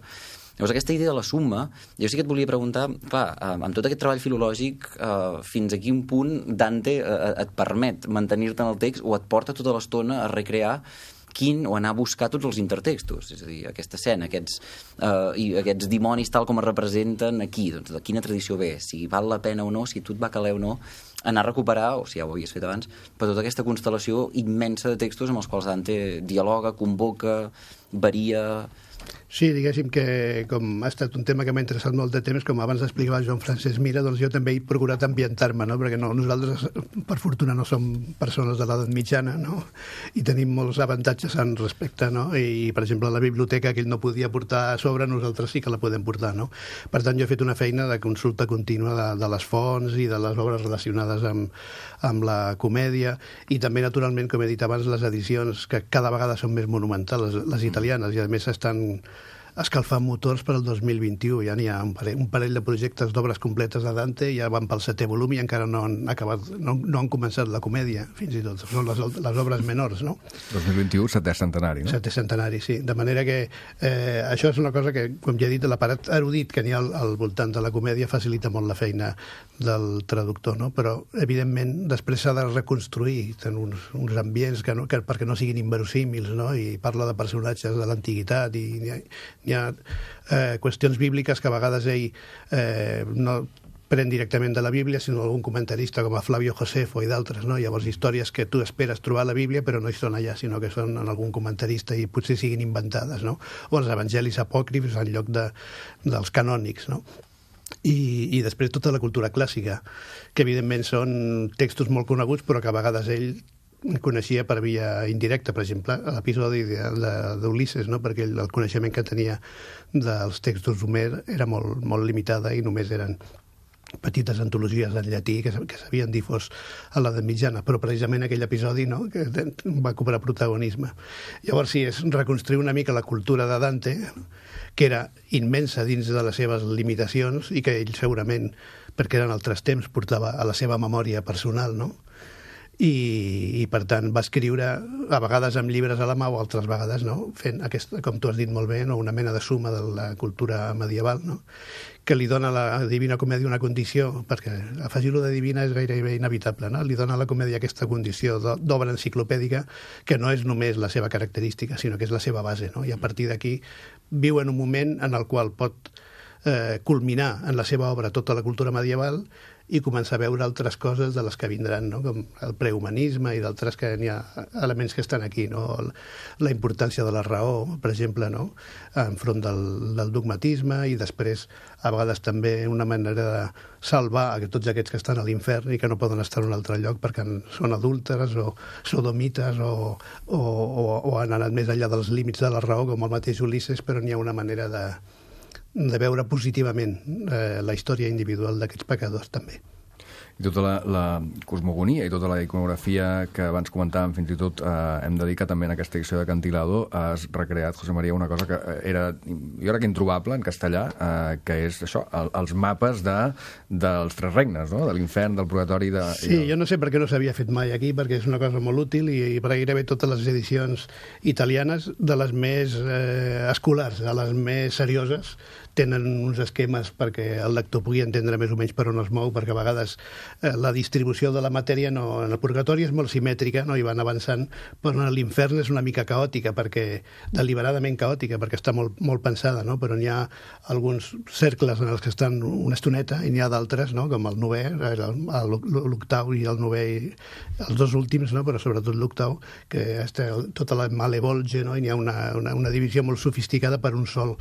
Llavors, aquesta idea de la summa, jo sí que et volia preguntar, clar, amb tot aquest treball filològic, fins a quin punt Dante et permet mantenir-te en el text o et porta tota l'estona a recrear o anar a buscar tots els intertextos, és a dir, aquesta escena, aquests dimonis tal com es representen aquí, doncs de quina tradició ve, si val la pena o no, si tu et va caler o no, anar a recuperar, o si ja ho havies fet abans, per tota aquesta constel·lació immensa de textos amb els quals Dante dialoga, convoca, varia. Sí, diguéssim que com ha estat un tema que m'ha interessat molt de temps, com abans explicava Joan Francesc Mira, doncs jo també he procurat ambientar-me, no? Perquè nosaltres, per fortuna, no som persones de l'edat mitjana, no? I tenim molts avantatges en respecte, no? I, per exemple, la biblioteca que ell no podia portar a sobre, nosaltres sí que la podem portar, no? Per tant, jo he fet una feina de consulta contínua de les fonts i de les obres relacionades amb la comèdia, i també, naturalment, com he dit abans, les edicions que cada vegada són més monumentals, les italianes, i a més estan escalfant motors per al 2021. Ja n'hi ha un parell de projectes d'obres completes de Dante, ja van pel 7è volum i encara no han començat la comèdia, fins i tot. Són les obres menors, no? 2021, 7è centenari, no? 7è centenari, sí. De manera que això és una cosa que, com ja he dit, l'aparat erudit que n'hi ha al voltant de la comèdia facilita molt la feina del traductor, no? Però, evidentment, després s'ha de reconstruir uns ambients perquè no siguin inverosímils, no? I parla de personatges de l'antiguitat i hi ha qüestions bíbliques que a vegades ell no pren directament de la Bíblia, sinó algun comentarista com a Flavio Josefo i d'altres, no? Llavors, històries que tu esperes trobar a la Bíblia però no hi són allà, sinó que són en algun comentarista i potser siguin inventades, no? O els evangelis apòcrifs en lloc dels canònics, no? I després tota la cultura clàssica, que evidentment són textos molt coneguts però que a vegades ell coneixia per via indirecta, per exemple, l'episodi d'Ulisses, no? Perquè el coneixement que tenia dels textos d'Homer era molt, molt limitada i només eren petites antologies en llatí que s'havien difós a l'edat mitjana, però precisament aquell episodi, no?, que va cobrar protagonisme. Llavors, sí, és reconstruir una mica la cultura de Dante, que era immensa dins de les seves limitacions i que ell segurament, perquè eren altres temps, portava a la seva memòria personal, no?, i per tant va escriure a vegades amb llibres a la mà o altres vegades, no?, fent aquesta, com tu has dit molt bé, no?, una mena de suma de la cultura medieval, no?, que li dona a la Divina Comèdia una condició, perquè afegir-lo de divina és gairebé inevitable, no?, li dona a la comèdia aquesta condició d'obra enciclopèdica que no és només la seva característica, sinó que és la seva base, no?, i a partir d'aquí viu en un moment en el qual pot culminar en la seva obra tota la cultura medieval i començar a veure altres coses de les que vindran, no?, com el prehumanisme i d'altres que n'hi ha elements que estan aquí, no?, la importància de la raó, per exemple, no?, enfront del dogmatisme, i després a vegades també una manera de salvar a tots aquests que estan a l'infern i que no poden estar en un altre lloc perquè són adúlteres o sodomites o han anat més enllà dels límits de la raó, com el mateix Ulisses, però n'hi ha una manera de veure positivament la història individual d'aquests pecadors, també. I tota la cosmogonia i tota la iconografia que abans comentàvem, fins i tot hem de dir que també en aquesta edició de Cantilado has recreat, José María, una cosa que era, jo crec, introbable en castellà, que és això, els mapes dels tres regnes, no?, de l'infern, del purgatori... Sí, jo no sé per què no s'havia fet mai aquí, perquè és una cosa molt útil i per gairebé totes les edicions italianes, de les més escolars a les més serioses, tenen uns esquemes perquè el lector pugui entendre més o menys per on es mou, perquè a vegades la distribució de la matèria en el purgatori és molt simètrica, no?, i van avançant, però en l'infern és una mica caòtica, deliberadament caòtica, perquè està molt, molt pensada, no?, però n'hi ha alguns cercles en els que estan una estoneta i n'hi ha d'altres, no?, com el novè, l'octau i el novè, els dos últims, no?, però sobretot l'octau, que està tota la malevolge, no?, i n'hi ha una divisió molt sofisticada per un sol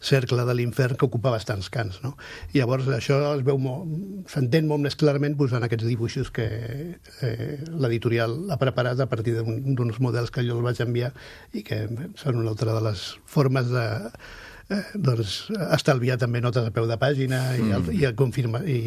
cercle de l'infern que ocupa bastants cants, no? I llavors això es veu s'entén molt més clarament posant aquests dibuixos que l'editorial ha preparat a partir d'uns models que jo els vaig enviar i que són una altra de les formes de estalviar també notes a peu de pàgina i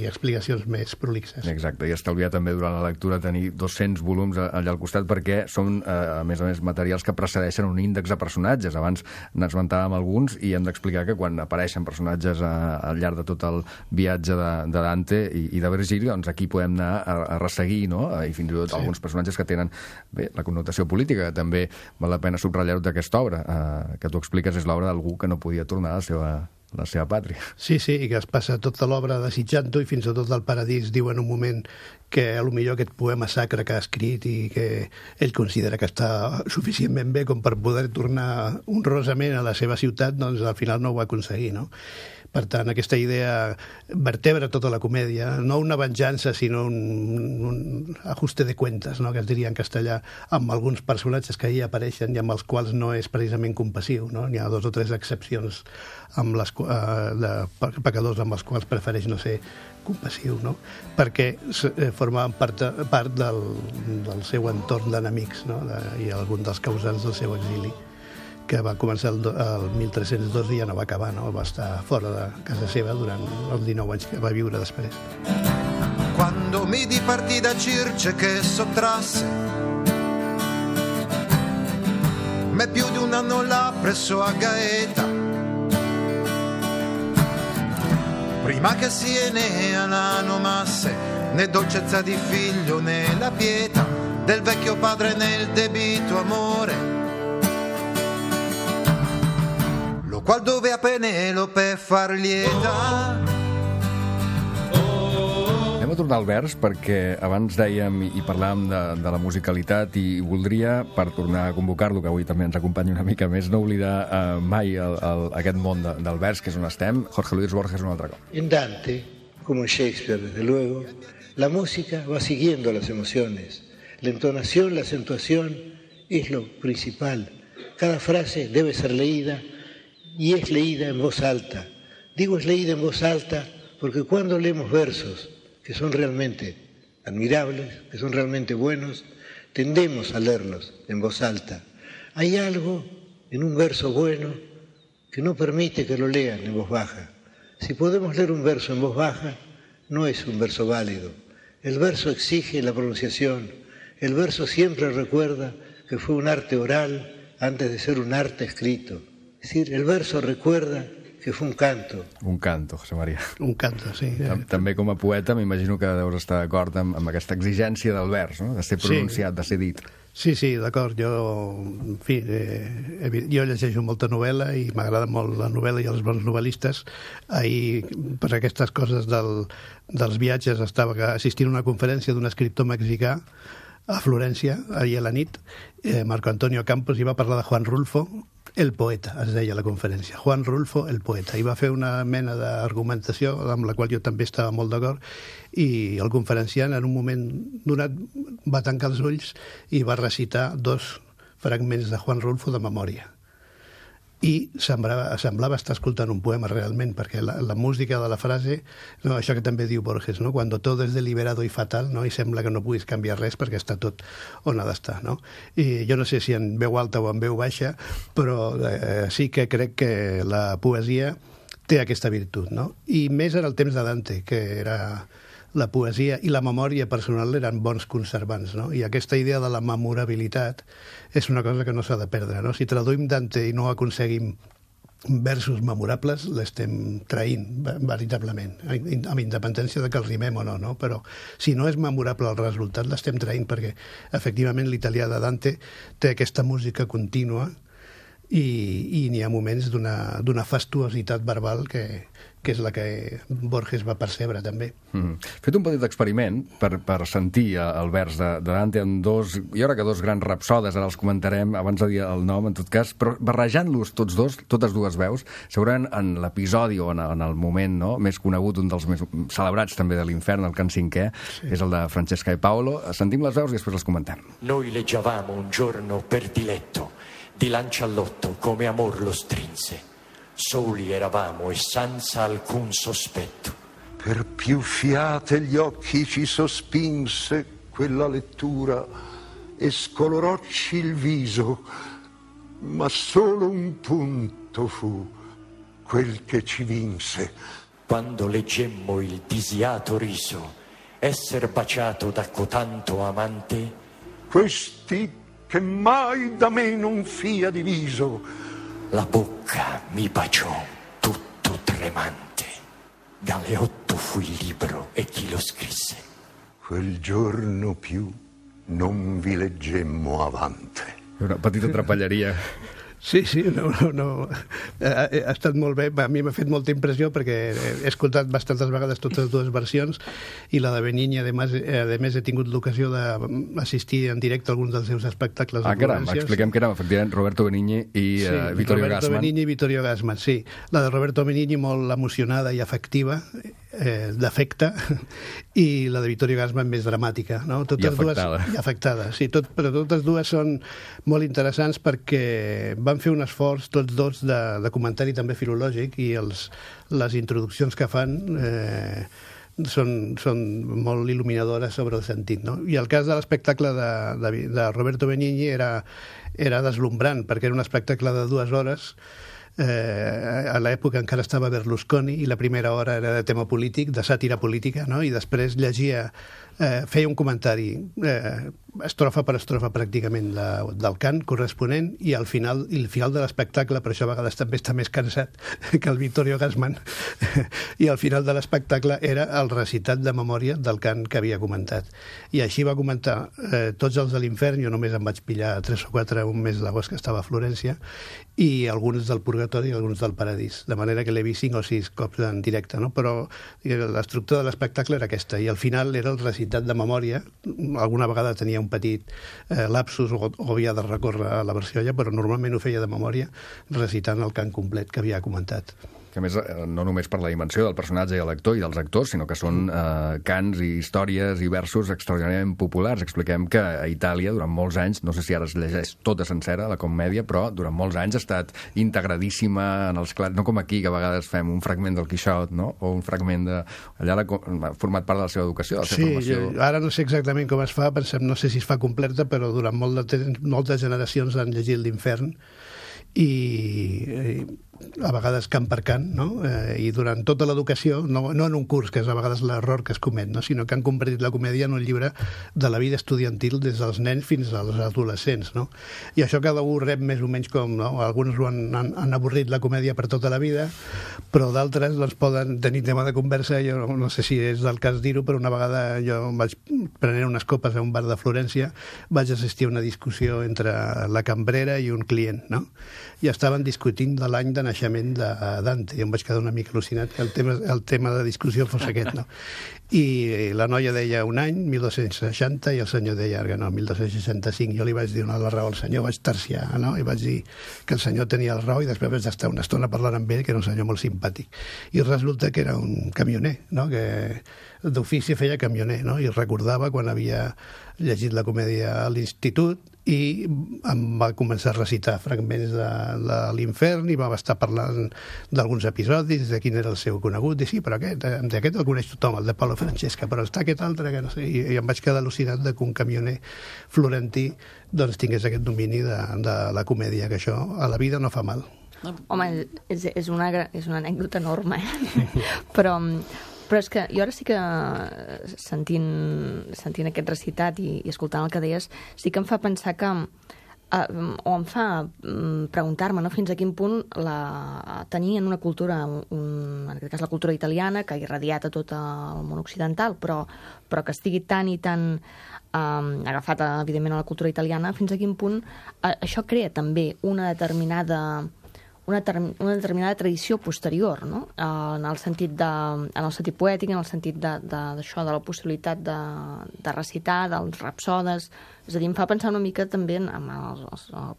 explicacions més prolixes. Exacte, i estalviar també durant la lectura tenir 200 volums allà al costat, perquè són, a més, materials que precedeixen un índex de personatges. Abans n'esmentàvem alguns i hem d'explicar que quan apareixen personatges al llarg de tot el viatge de Dante i de Virgili, doncs aquí podem anar a resseguir, no?, i fins i tot alguns personatges que tenen la connotació política, que també val la pena subratllar-ho d'aquesta obra, que tu expliques és l'obra d'algú que no podia tornar a la seva la seva pàtria. Sí, i que es passa tota l'obra desitjant-ho i fins i tot al Paradís diu en un moment que potser aquest poema sacre que ha escrit i que ell considera que està suficientment bé com per poder tornar honrosament a la seva ciutat, doncs al final no ho va aconseguir, no? Per tant, aquesta idea vertebra tota la comèdia, no una venjança, sinó un ajuste de cuentas, no? Que es diria en castellà, amb alguns personatges que hi apareixen i amb els quals no és precisament compassiu, no? N'hi ha 2 o 3 excepcions amb de pecadors amb els quals prefereix no ser compassiu, no? Perquè formaven part del seu entorn d'enemics, no? I algun dels causants del seu exili, que va començar el 1302 i ja no va acabar, no? Va estar fora de casa seva durant els 19 anys que va viure després. Quando mi dipartì da Circe che sottrasse me più di un anno là presso a Gaeta, prima che si Enea la nomasse, né dolcezza di figlio né la pietà del vecchio padre nel debito amore, lo qual dove a Penelope far lieta. Anem a tornar al vers perquè abans dèiem i parlàvem de la musicalitat i voldria, per tornar a convocar-lo, que avui també ens acompanya una mica més, no oblidar mai aquest món del vers, que és on estem. Jorge Luis Borges un altre cop. En Dante, como en Shakespeare, desde luego, la música va siguiendo las emociones. La entonación, la acentuación es lo principal. Cada frase debe ser leída y es leída en voz alta. Digo es leída en voz alta porque cuando leemos versos que son realmente admirables, que son realmente buenos, tendemos a leerlos en voz alta. Hay algo en un verso bueno que no permite que lo lean en voz baja. Si podemos leer un verso en voz baja, no es un verso válido. El verso exige la pronunciación. El verso siempre recuerda que fue un arte oral antes de ser un arte escrito. Es decir, el verso recuerda que fue un canto. Un canto, José María. Un canto, sí. També com a poeta m'imagino que deus estar d'acord amb aquesta exigència del vers, no? De ser pronunciat, de ser dit. Sí, d'acord. Jo, en fi, jo llegeixo molta novel·la i m'agrada molt la novel·la i els bons novel·listes. Ahir, per aquestes coses dels viatges, estava assistint a una conferència d'un escriptor mexicà a Florència, ahir a la nit, Marco Antonio Campos, i va parlar de Juan Rulfo, el poeta, es deia la conferència. Juan Rulfo, el poeta. I va fer una mena d'argumentació amb la qual jo també estava molt d'acord, i el conferenciant en un moment donat va tancar els ulls i va recitar 2 fragments de Juan Rulfo de memòria. I semblava estar escoltant un poema realment, perquè la música de la frase, no, això que també diu Borges, no? Cuando todo es deliberado y fatal, no? I sembla que no puguis canviar res perquè està tot on ha d'estar, no? I jo no sé si en veu alta o en veu baixa, però sí que crec que la poesia té aquesta virtut, no? I més en el temps de Dante, que era la poesia i la memòria personal eren bons conservants, no? I aquesta idea de la memorabilitat és una cosa que no s'ha de perdre, no? Si traduïm Dante i no aconseguim versos memorables, l'estem traint veritablement, amb independència de que el rimem o no, no? Però si no és memorable el resultat, l'estem traint perquè, efectivament, l'italià de Dante té aquesta música contínua i n'hi ha moments d'una fastuositat verbal que és la que Borges va percebre també. Fet un petit experiment per sentir el vers de Dante en jo crec que 2 grans rapsodes, ara els comentarem abans de dir el nom, en tot cas, però barrejant-los totes dues veus, segurament en l'episodi o en el moment més conegut, un dels més celebrats també de l'Infern, el cant 5è, és el de Francesca e Paolo. Sentim les veus i després les comentem. Noi leggiavamo un giorno per diletto di Lanciallotto come amor lo strinse. Soli eravamo e senza alcun sospetto. Per più fiate gli occhi ci sospinse quella lettura e scolorocci il viso, ma solo un punto fu quel che ci vinse. Quando leggemmo il disiato riso, esser baciato da cotanto amante, questi che mai da me non fia diviso, la bocca mi baciò tutto tremante. Galeotto fu il libro e chi lo scrisse. Quel giorno più non vi leggemmo avante. Una petita trapelleria. Sí, no. Ha estat molt bé. A mi m'ha fet molta impressió perquè he escoltat bastantes vegades totes dues versions i la de Benigni, a més, he tingut l'ocasió d'assistir en directe a alguns dels seus espectacles. Caram, expliquem que era efectivament Roberto Benigni i Vittorio Gassman. Roberto Benigni i Vittorio Gassman, sí. La de Roberto Benigni molt emocionada i afectiva, d'afecte, i la de Vittorio Gassman més dramàtica, no? I afectada. I afectada, sí. Però totes dues són molt interessants perquè van fer un esforç tots dos de comentari també filològic i les introduccions que fan són molt il·luminadores sobre el sentit, no? I el cas de l'espectacle de Roberto Benigni era deslumbrant perquè era un espectacle de 2 hores. A l'època encara estava Berlusconi i la primera hora era de tema polític, de sàtira política, no? I després llegia, feia un comentari estrofa per estrofa pràcticament del cant corresponent i el final de l'espectacle, per això a vegades també està més cansat que el Vittorio Gassman, i al final de l'espectacle era el recitat de memòria del cant que havia comentat. I així va comentar tots els de l'Infern, jo només em vaig pillar 3 o 4 un mes d'agost que estava a Florència, i alguns del Purgatori i alguns del Paradís, de manera que l'he vist 5 o 6 cops en directe, no? Però l'estructura de l'espectacle era aquesta, i al final era el recitat de memòria. Alguna vegada tenia un petit lapsus o havia de recórrer a la versió allà, però normalment ho feia de memòria recitant el cant complet que havia comentat. Que a més, no només per la dimensió del personatge i l'actor i dels actors, sinó que són cants i històries i versos extraordinàriament populars. Expliquem que a Itàlia, durant molts anys, no sé si ara es llegeix tota sencera, la comèdia, però durant molts anys ha estat integradíssima en els clars, no com aquí, que a vegades fem un fragment del Quixot, no? O un fragment de... Allà ha format part de la seva educació, de la seva formació. Sí, ara no sé exactament com es fa, no sé si es fa completa, però durant moltes generacions han llegit l'Infern i a vegades cant per cant, no? I durant tota l'educació, no en un curs, que és a vegades l'error que es comet, no? Sinó que han convertit la comèdia en un llibre de la vida estudiantil des dels nens fins als adolescents, no? I això cada un rep més o menys com, no? Alguns han avorrit la comèdia per tota la vida, però d'altres doncs, poden tenir tema de conversa. Jo no sé si és del cas dir-ho, però una vegada jo vaig prenent unes copes a un bar de Florència, vaig assistir a una discussió entre la cambrera i un client, no? I estaven discutint de l'any de naixement de Dante, i em vaig quedar una mica al·lucinat que el tema de discussió fos aquest, no? I la noia deia un any, 1260, i el senyor deia no, 1265. Jo li vaig donar la raó al senyor, vaig terciar, no? I vaig dir que el senyor tenia la raó i després vaig estar una estona parlant amb ell, que era un senyor molt simpàtic. I resulta que era un camioner, no? Que d'ofici feia camioner, no? I recordava quan havia llegit la comèdia a l'institut i em va començar a recitar fragments de l'Infern i va estar parlant d'alguns episodis, de quin era el seu conegut, i sí, però aquest el coneix tothom, el de Paolo Francesca, però està aquest altre que no sé, i em vaig quedar al·lucinat de que un camioner florentí doncs tingués aquest domini de la comèdia, que això a la vida no fa mal. Home, és una anècdota enorme, però és que jo ara sí que sentint aquest recitat i escoltant el que deies, sí que em fa pensar que o em fa preguntar-me, no?, fins a quin punt tenir en una cultura, en aquest cas la cultura italiana, que ha irradiat a tot el món occidental, però que estigui tan i tan agafat, evidentment, a la cultura italiana, fins a quin punt això crea també una determinada tradició posterior, no? En el sentit poètic, en el sentit d'això, de la possibilitat de recitar, dels rapsodes. És a dir, em fa pensar una mica també en el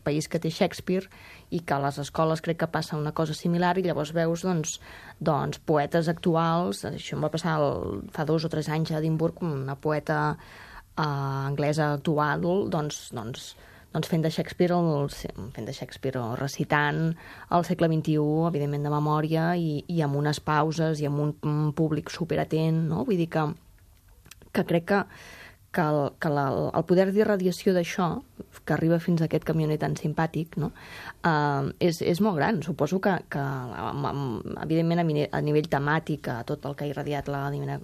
país que té Shakespeare i que a les escoles crec que passa una cosa similar i llavors veus doncs poetes actuals. Això em va passar fa 2 o 3 anys a Edimburg, una poeta anglesa actual, doncs fent de Shakespeare o recitant el segle XXI, evidentment de memòria, i amb unes pauses i amb un públic superatent, no? Vull dir que crec que el poder d'irradiació d'això, que arriba fins a aquest camioner tan simpàtic, no? És molt gran. Suposo que evidentment, a nivell temàtic, a tot el que ha irradiat la Divina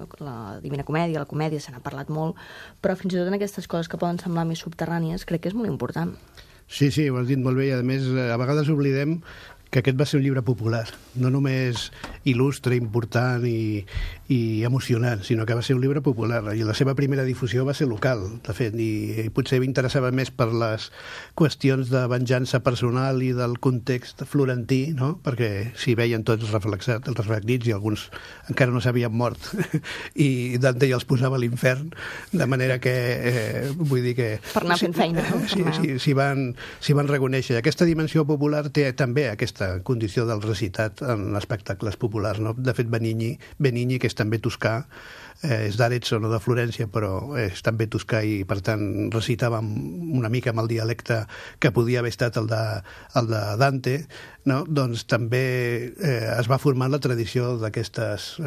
Comèdia, la comèdia, se n'ha parlat molt, però fins i tot en aquestes coses que poden semblar més subterrànies, crec que és molt important. Sí, ho has dit molt bé, i a més, a vegades oblidem que aquest va ser un llibre popular. No només il·lustre, important i emocionant, sinó que va ser un llibre popular. I la seva primera difusió va ser local, de fet, i potser m'interessava més per les qüestions de venjança personal i del context florentí, no? Perquè s'hi veien tots reflectits i alguns encara no s'havien mort i Dante ja els posava a l'infern, de manera que vull dir que... Per anar fent feina, no? Sí, s'hi van reconèixer. Aquesta dimensió popular té també aquesta condició del recitat en espectacles populars, no? De fet, Benigni, que és també toscà, és d'Arezzo, no de Florència, però és també toscà i, per tant, recitava una mica amb el dialecte que podia haver estat el de Dante, no? Doncs també es va formar la tradició d'aquestes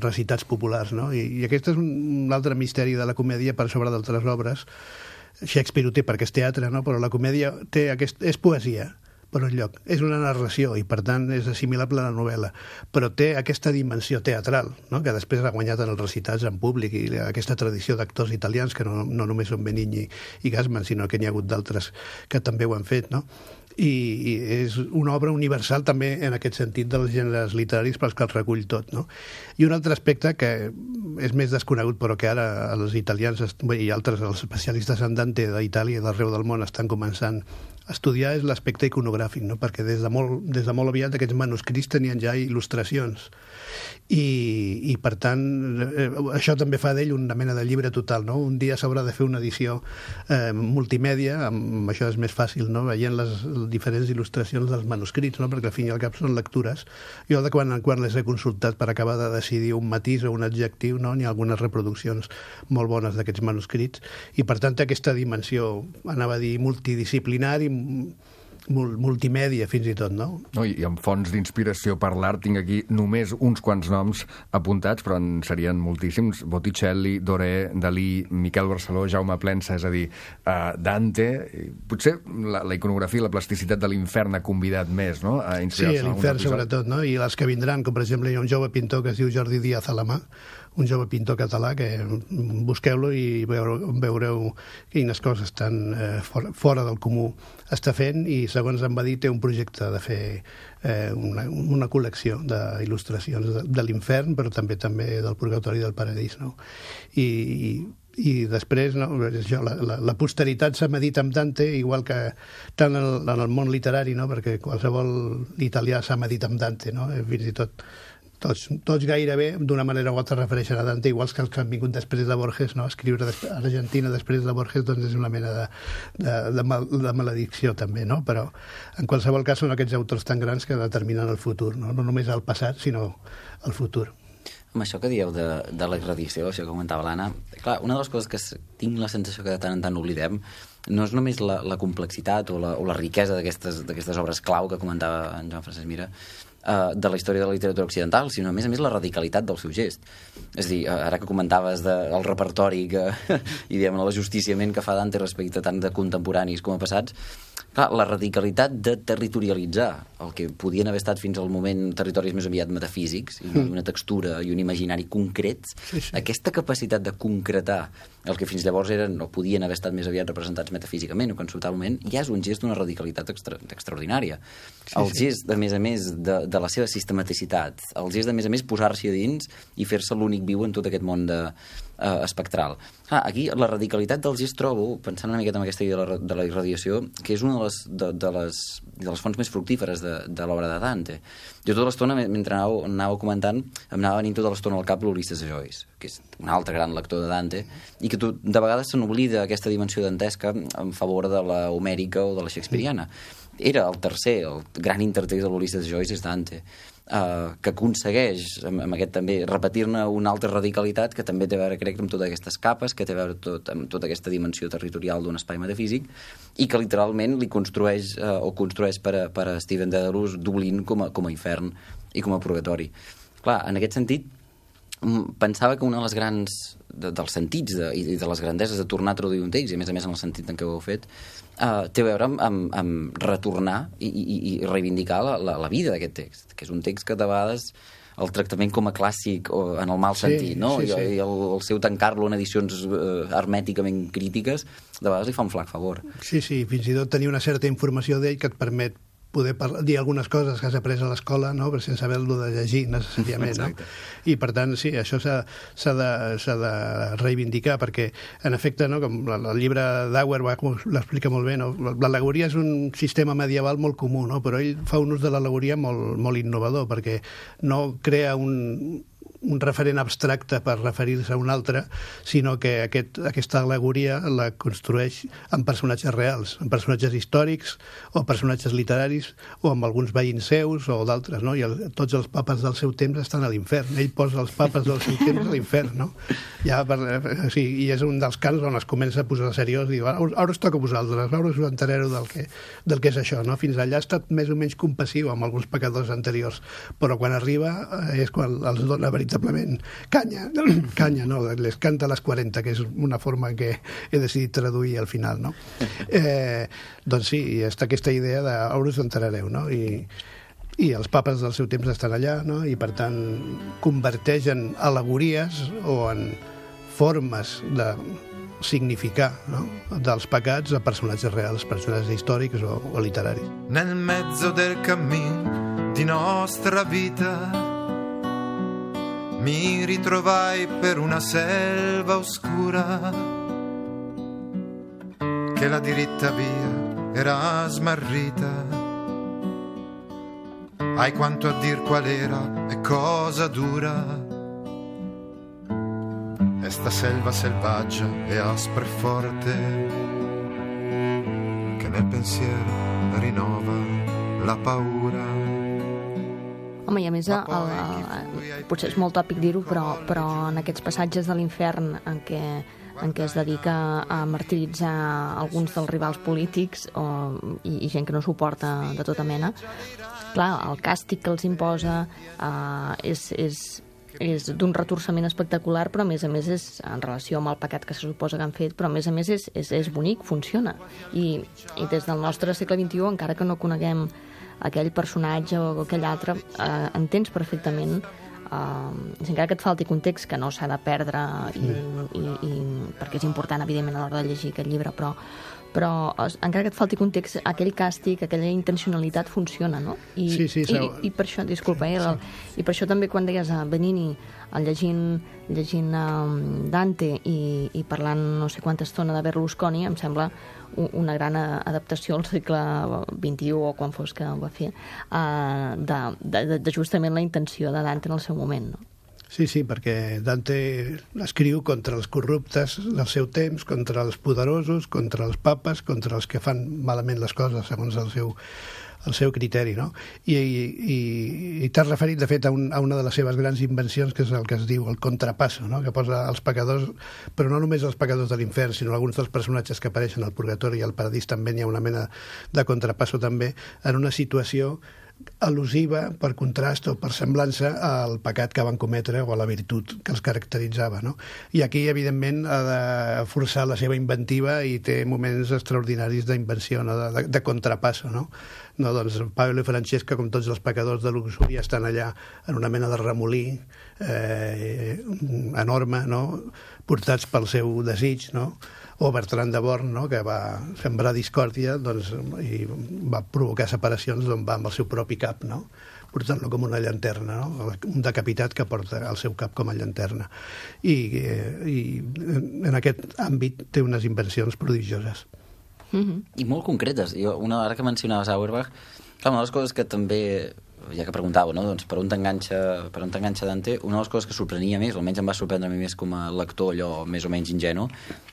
recitats populars, no? I aquest és un altre misteri de la comèdia per sobre d'altres obres. Shakespeare ho té perquè és teatre, no? Però la comèdia és poesia, per un lloc. És una narració i, per tant, és assimilable a la novel·la, però té aquesta dimensió teatral, no? Que després ha guanyat en els recitats en públic i aquesta tradició d'actors italians, que no només són Benigni i Gassman, sinó que n'hi ha hagut d'altres que també ho han fet, no? I és una obra universal també en aquest sentit dels gèneres literaris pels que els recull tot, no? I un altre aspecte que és més desconegut però que ara els italians i altres els especialistes en Dante d'Itàlia i d'arreu del món estan començant a estudiar és l'aspecte iconogràfic, no? Perquè des de molt aviat aquests manuscrits tenien ja il·lustracions i per tant això també fa d'ell una mena de llibre total, no? Un dia s'haurà de fer una edició multimèdia, amb això és més fàcil, no? Veient les diferents il·lustracions dels manuscrits, no? Perquè al fin i al cap són lectures. Jo de quan en quan les he consultat per acabar de decidir un matís o un adjectiu, no? N'hi ha algunes reproduccions molt bones d'aquests manuscrits i per tant té aquesta dimensió, anava a dir, multidisciplinari, multimèdia fins i tot, no? I amb fonts d'inspiració per l'art tinc aquí només uns quants noms apuntats, però en serien moltíssims. Botticelli, Doré, Dalí, Miquel Barceló, Jaume Plensa, és a dir, Dante. Potser la iconografia i la plasticitat de l'infern ha convidat més, no? A inspirar-se en l'infern sobretot, no? I les que vindran, com per exemple hi ha un jove pintor que es diu Jordi Díaz Alamà, un jove pintor català, que busqueu-lo i veureu quines coses tan fora del comú està fent i, segons em va dir, té un projecte de fer una col·lecció d'il·lustracions de l'infern, però també del purgatori i del paradís, no? I després, no, la posteritat s'ha medit amb Dante, igual que tant en el món literari, no? Perquè qualsevol italià s'ha medit amb Dante, no? Fins i tot tots gairebé, d'una manera o altra, refereixen a Dante, iguals que els que han vingut després de Borges, no? Escriure a Argentina després de Borges doncs és una mena de maledicció també, no? Però en qualsevol cas són aquests autors tan grans que determinen el futur, no només el passat, sinó el futur. Amb això que dieu de la irradiació, això que comentava l'Anna, clar, una de les coses que tinc la sensació que de tant en tant oblidem no és només la complexitat o la riquesa d'aquestes obres clau que comentava en Joan Francesc Mira, de la història de la literatura occidental, sinó a més l'aradicalitat del seu gest. És a dir, ara que comentaves del repertori i diguem l'ajusticiament que fa Dante respecte tant de contemporanis com a passats, clar, la radicalitat de territorialitzar el que podien haver estat fins al moment territoris més aviat metafísics i una textura i un imaginari concrets, aquesta capacitat de concretar el que fins llavors eren o podien haver estat més aviat representats metafísicament o conceptualment, ja és un gest d'una radicalitat extraordinària. El gest, a més, de la seva sistematicitat, el gest, a més, posar-s'hi a dins i fer-se l'únic viu en tot aquest món espectral. Aquí la radicalitat del gest trobo, pensant una miqueta en aquesta idea de la irradiació, que és una de les fonts més fructíferes de l'obra de Dante. Jo tota l'estona, mentre anava comentant, em anava venint tota l'estona al cap l'Ulisses de Joyce, que és un altre gran lector de Dante, i que de vegades se n'oblida aquesta dimensió dantesca en favor de la homèrica o de la shakespeariana. Era el tercer, el gran intertext de l'Ulisses de Joyce és Dante, que aconsegueix, amb aquest també, repetir-ne una altra radicalitat que també té a veure, crec, amb totes aquestes capes, que té a veure amb tota aquesta dimensió territorial d'un espai metafísic, i que literalment li construeix per a Stephen Dedalus Dublín com a infern i com a purgatori. Clar, en aquest sentit, pensava que una de les grans dels sentits i de les grandeses de tornar a traduir un text, i a més en el sentit en què ho heu fet, té a veure amb retornar i reivindicar la vida d'aquest text, que és un text que de vegades el tractament com a clàssic o en el mal sentit, no? I el seu tancar-lo en edicions hermèticament crítiques de vegades li fa un flac favor. Sí, fins i tot tenir una certa informació d'ell que et permet poder dir algunes coses que has après a l'escola, no? Però sense haver-lo de llegir necessàriament. No? I per tant, sí, això s'ha de reivindicar, perquè en efecte, no? Com el llibre d'Auerbach l'explica molt bé, no? L'al·legoria és un sistema medieval molt comú, no? Però ell fa un ús de l'al·legoria molt innovador, perquè no crea un referent abstracte per referir-se a un altre, sinó que aquesta al·legoria la construeix amb personatges reals, amb personatges històrics o personatges literaris o amb alguns veïns seus o d'altres, no? I tots els papes del seu temps estan a l'infern. Ell posa els papes del seu temps a l'infern, no? I és un dels cants on es comença a posar seriós i diu, ara us toca a vosaltres, ara us entereu del que és això, no? Fins allà ha estat més o menys compassiu amb alguns pecadors anteriors, però quan arriba és quan els dona veritablement canya, no, les canta a les 40, que és una forma que he decidit traduir al final, no? Doncs sí, està aquesta idea de ara us enterareu, no? I els papes del seu temps estan allà, no? I per tant converteix en al·legories o en formes de significar, no? Dels pecats a personatges reals, personatges històrics o literaris. Nel mezzo del cammin di nostra vita mi ritrovai per una selva oscura che la diritta via era smarrita. Hai quanto a dir qual era e cosa dura esta selva selvaggia e aspra e forte che nel pensiero rinnova la paura. Home, i a més, potser és molt tòpic dir-ho, però en aquests passatges de l'infern en què es dedica a martiritzar alguns dels rivals polítics i gent que no suporta de tota mena, clar, el càstig que els imposa és d'un retorçament espectacular, però a més és en relació amb el pecat que se suposa que han fet, però a més és bonic, funciona. I des del nostre segle XXI, encara que no coneguem aquell personatge o aquell altre, entens perfectament, encara que et falti context, que no s'ha de perdre, perquè és important, evidentment, a l'hora de llegir aquest llibre, però encara que et falti context, aquell càstig, aquella intencionalitat funciona, no? I per això, disculpa, i per això també quan deies a Benigni, llegint Dante i parlant no sé quanta estona de Berlusconi, em sembla una gran adaptació al segle XXI o quan fos que ho va fer, de justament la intenció de Dante en el seu moment, no? Sí, perquè Dante escriu contra els corruptes del seu temps, contra els poderosos, contra els papes, contra els que fan malament les coses segons el seu criteri, no? I t'has referit, de fet, a una de les seves grans invencions, que és el que es diu el contrapasso, no? Que posa els pecadors, però no només els pecadors de l'infern, sinó alguns dels personatges que apareixen al purgatori i al paradís també hi ha una mena de contrapasso també, en una situació al·lusiva, per contrast o per semblança al pecat que van cometre o a la virtut que els caracteritzava, no? I aquí, evidentment, ha de forçar la seva inventiva i té moments extraordinaris d'invenció, no? de contrapasso, no? No, doncs Paolo i Francesca, com tots els pecadors de luxúria, estan allà en una mena de remolí enorme, no? Portats pel seu desig, no? O Bertran de Born, no? Que va sembrar discòrdia, doncs, i va provocar separacions d'on va amb el seu propi cap, no? Portant-lo com una llanterna, no? Un decapitat que porta el seu cap com a llanterna. I en aquest àmbit té unes invencions prodigioses. I molt concretes. Ara que mencionaves Auerbach, una de les coses que també, ja que preguntàveu, no? Doncs per on t'enganxa Dante, una de les coses que sorprenia més, almenys em va sorprendre a mi més com a lector, allò més o menys ingenu,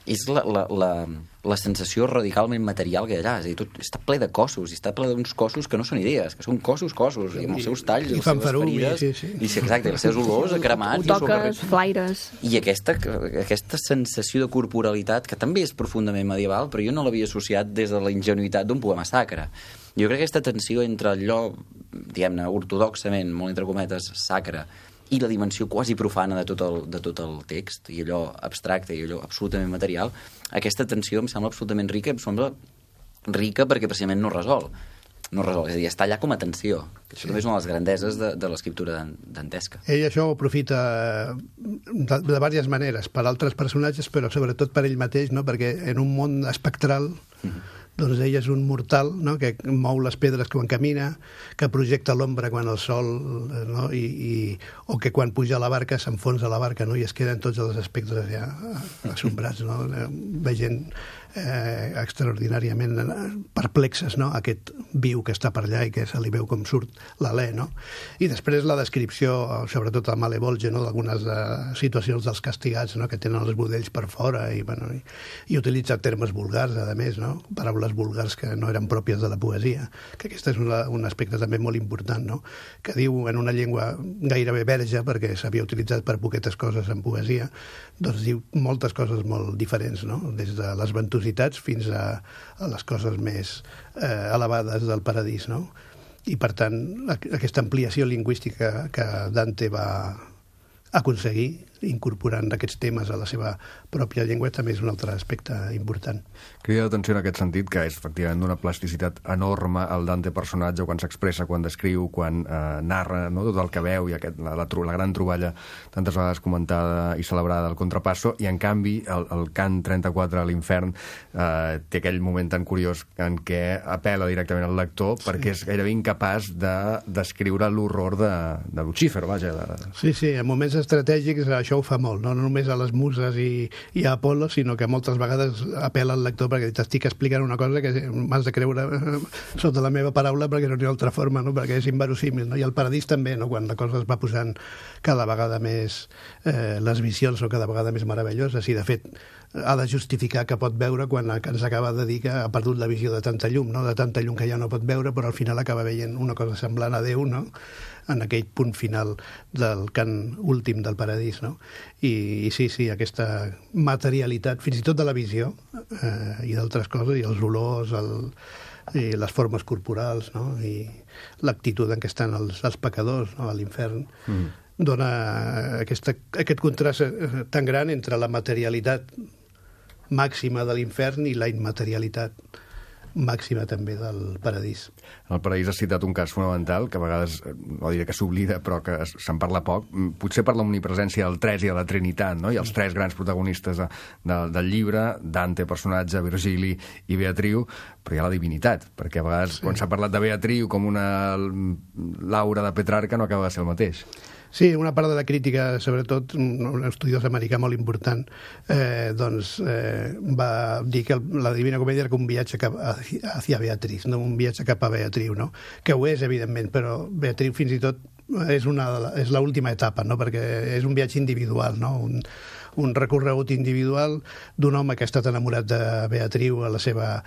és la sensació radicalment material que hi ha allà. És a dir, tot està ple de cossos, i està ple d'uns cossos que no són idees, que són cossos, i amb els seus talls, i les seves ferides, i exacte, els seus olors cremats. Toques, flaires. I aquesta sensació de corporalitat, que també és profundament medieval, però jo no l'havia associat des de la ingenuïtat d'un poema sacre. Jo crec que aquesta tensió entre allò, diguem-ne, ortodoxament, molt entre cometes, sacre, i la dimensió quasi profana de tot el text, i allò abstracte, i allò absolutament material, aquesta tensió em sembla absolutament rica, em sembla rica perquè precisament no resol, és a dir, està allà com a tensió. Això també és una de les grandeses de l'escriptura dantesca. Ell això ho aprofita de diverses maneres, per altres personatges, però sobretot per ell mateix, no? Perquè en un món espectral doncs ell és un mortal, no?, que mou les pedres quan camina, que projecta l'ombra quan el sol, no?, o que quan puja a la barca s'enfonsa la barca, no?, i es queden tots els aspectes ja assombrats, no?, veient extraordinàriament perplexes, no?, aquest viu que està per allà i que se li veu com surt l'alè, no? I després la descripció, sobretot a Malevolge, no?, d'algunes situacions dels castigats, no?, que tenen els budells per fora i i utilitza termes vulgars, a més, no?, paraules vulgars que no eren pròpies de la poesia, que aquest és un aspecte també molt important, no?, que diu en una llengua gairebé verge, perquè s'havia utilitzat per poquetes coses en poesia, doncs diu moltes coses molt diferents, no?, des de les ventositats fins a les coses més elevades del paradís, no? I, per tant, aquesta ampliació lingüística que Dante va aconseguir, incorporant aquests temes a la seva pròpia llengua, també és un altre aspecte important. Crida l'atenció en aquest sentit que és efectivament d'una plasticitat enorme el Dante personatge, quan s'expressa, quan descriu, quan narra, no?, tot el que veu i la gran troballa tantes vegades comentada i celebrada del Contrapasso, i en canvi el cant 34 a l'Infern té aquell moment tan curiós en què apela directament al lector perquè és gairebé incapaç de descriure l'horror de Lucífer, vaja. Sí, en moments estratègics això ho fa molt, no només a les muses i a Apol·lo, sinó que moltes vegades apela al lector perquè t'estic explicant una cosa que m'has de creure sota la meva paraula perquè no hi ha altra forma, no?, perquè és inverosímil, no? I el Paradís també, no?, quan la cosa es va posant cada vegada més, les visions són cada vegada més meravelloses, i de fet ha de justificar que pot veure quan ens acaba de dir que ha perdut la visió de tanta llum, no?, de tanta llum que ja no pot veure, però al final acaba veient una cosa semblant a Déu, no?, en aquell punt final del cant últim del Paradís, no? I sí, aquesta materialitat, fins i tot de la visió i d'altres coses, i els olors, i les formes corporals, no?, i l'actitud en què estan els pecadors, no?, a l'infern, dona aquest contrast tan gran entre la materialitat màxima de l'infern i la immaterialitat màxima també del Paradís. En el Paradís has citat un cas fonamental que a vegades, no diré que s'oblida, però que se'n parla poc, potser per l'omnipresència del Tres i de la Trinitat, no?, i els tres grans protagonistes del llibre, Dante, personatge, Virgili i Beatriu, però hi ha la divinitat, perquè a vegades quan s'ha parlat de Beatriu com una Laura de Petrarca no acaba de ser el mateix. Sí, una part de la crítica, sobretot un estudiós americà molt important, va dir que la Divina Comèdia era com un viatge hacia Beatriz, no un viatge cap a Beatriu, no? Que ho és, evidentment, però Beatriu fins i tot és l'última etapa, no?, perquè és un viatge individual, no?, un recorregut individual d'un home que ha estat enamorat de Beatriu a la seva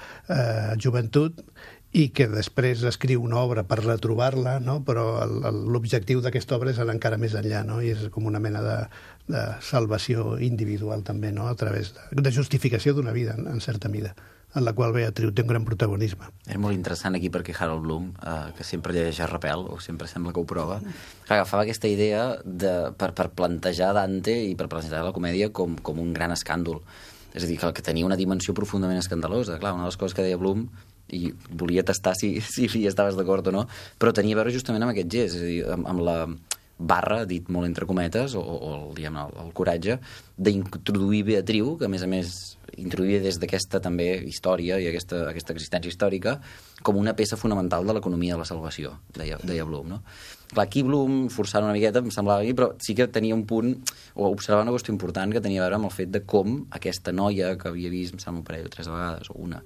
joventut i que després escriu una obra per retrobar-la, no?, però l'objectiu d'aquesta obra és anar encara més enllà, no?, i és com una mena de salvació individual també, no?, a través de justificació d'una vida, en certa mida, en la qual Beatriu té un gran protagonisme. És molt interessant aquí perquè Harold Bloom, que sempre llegeix a Rapel, o sempre sembla que ho prova, agafava aquesta idea per plantejar Dante i per plantejar la comèdia com un gran escàndol. És a dir, que tenia una dimensió profundament escandalosa. Clar, una de les coses que deia Bloom, i volia tastar si hi estaves d'acord o no, però tenia a veure justament amb aquest gest, és a dir, amb la barra, dit molt entre cometes, o diguem, el coratge d'introduir Beatriu, que a més introduïa des d'aquesta també història i aquesta existència històrica com una peça fonamental de l'economia de la salvació, deia Bloom, no? Clar, aquí Bloom, forçant una miqueta, em semblava aquí, però sí que tenia un punt, o observava una qüestió important que tenia a veure amb el fet de com aquesta noia que havia vist, em sembla un parell o 3 vegades, o una,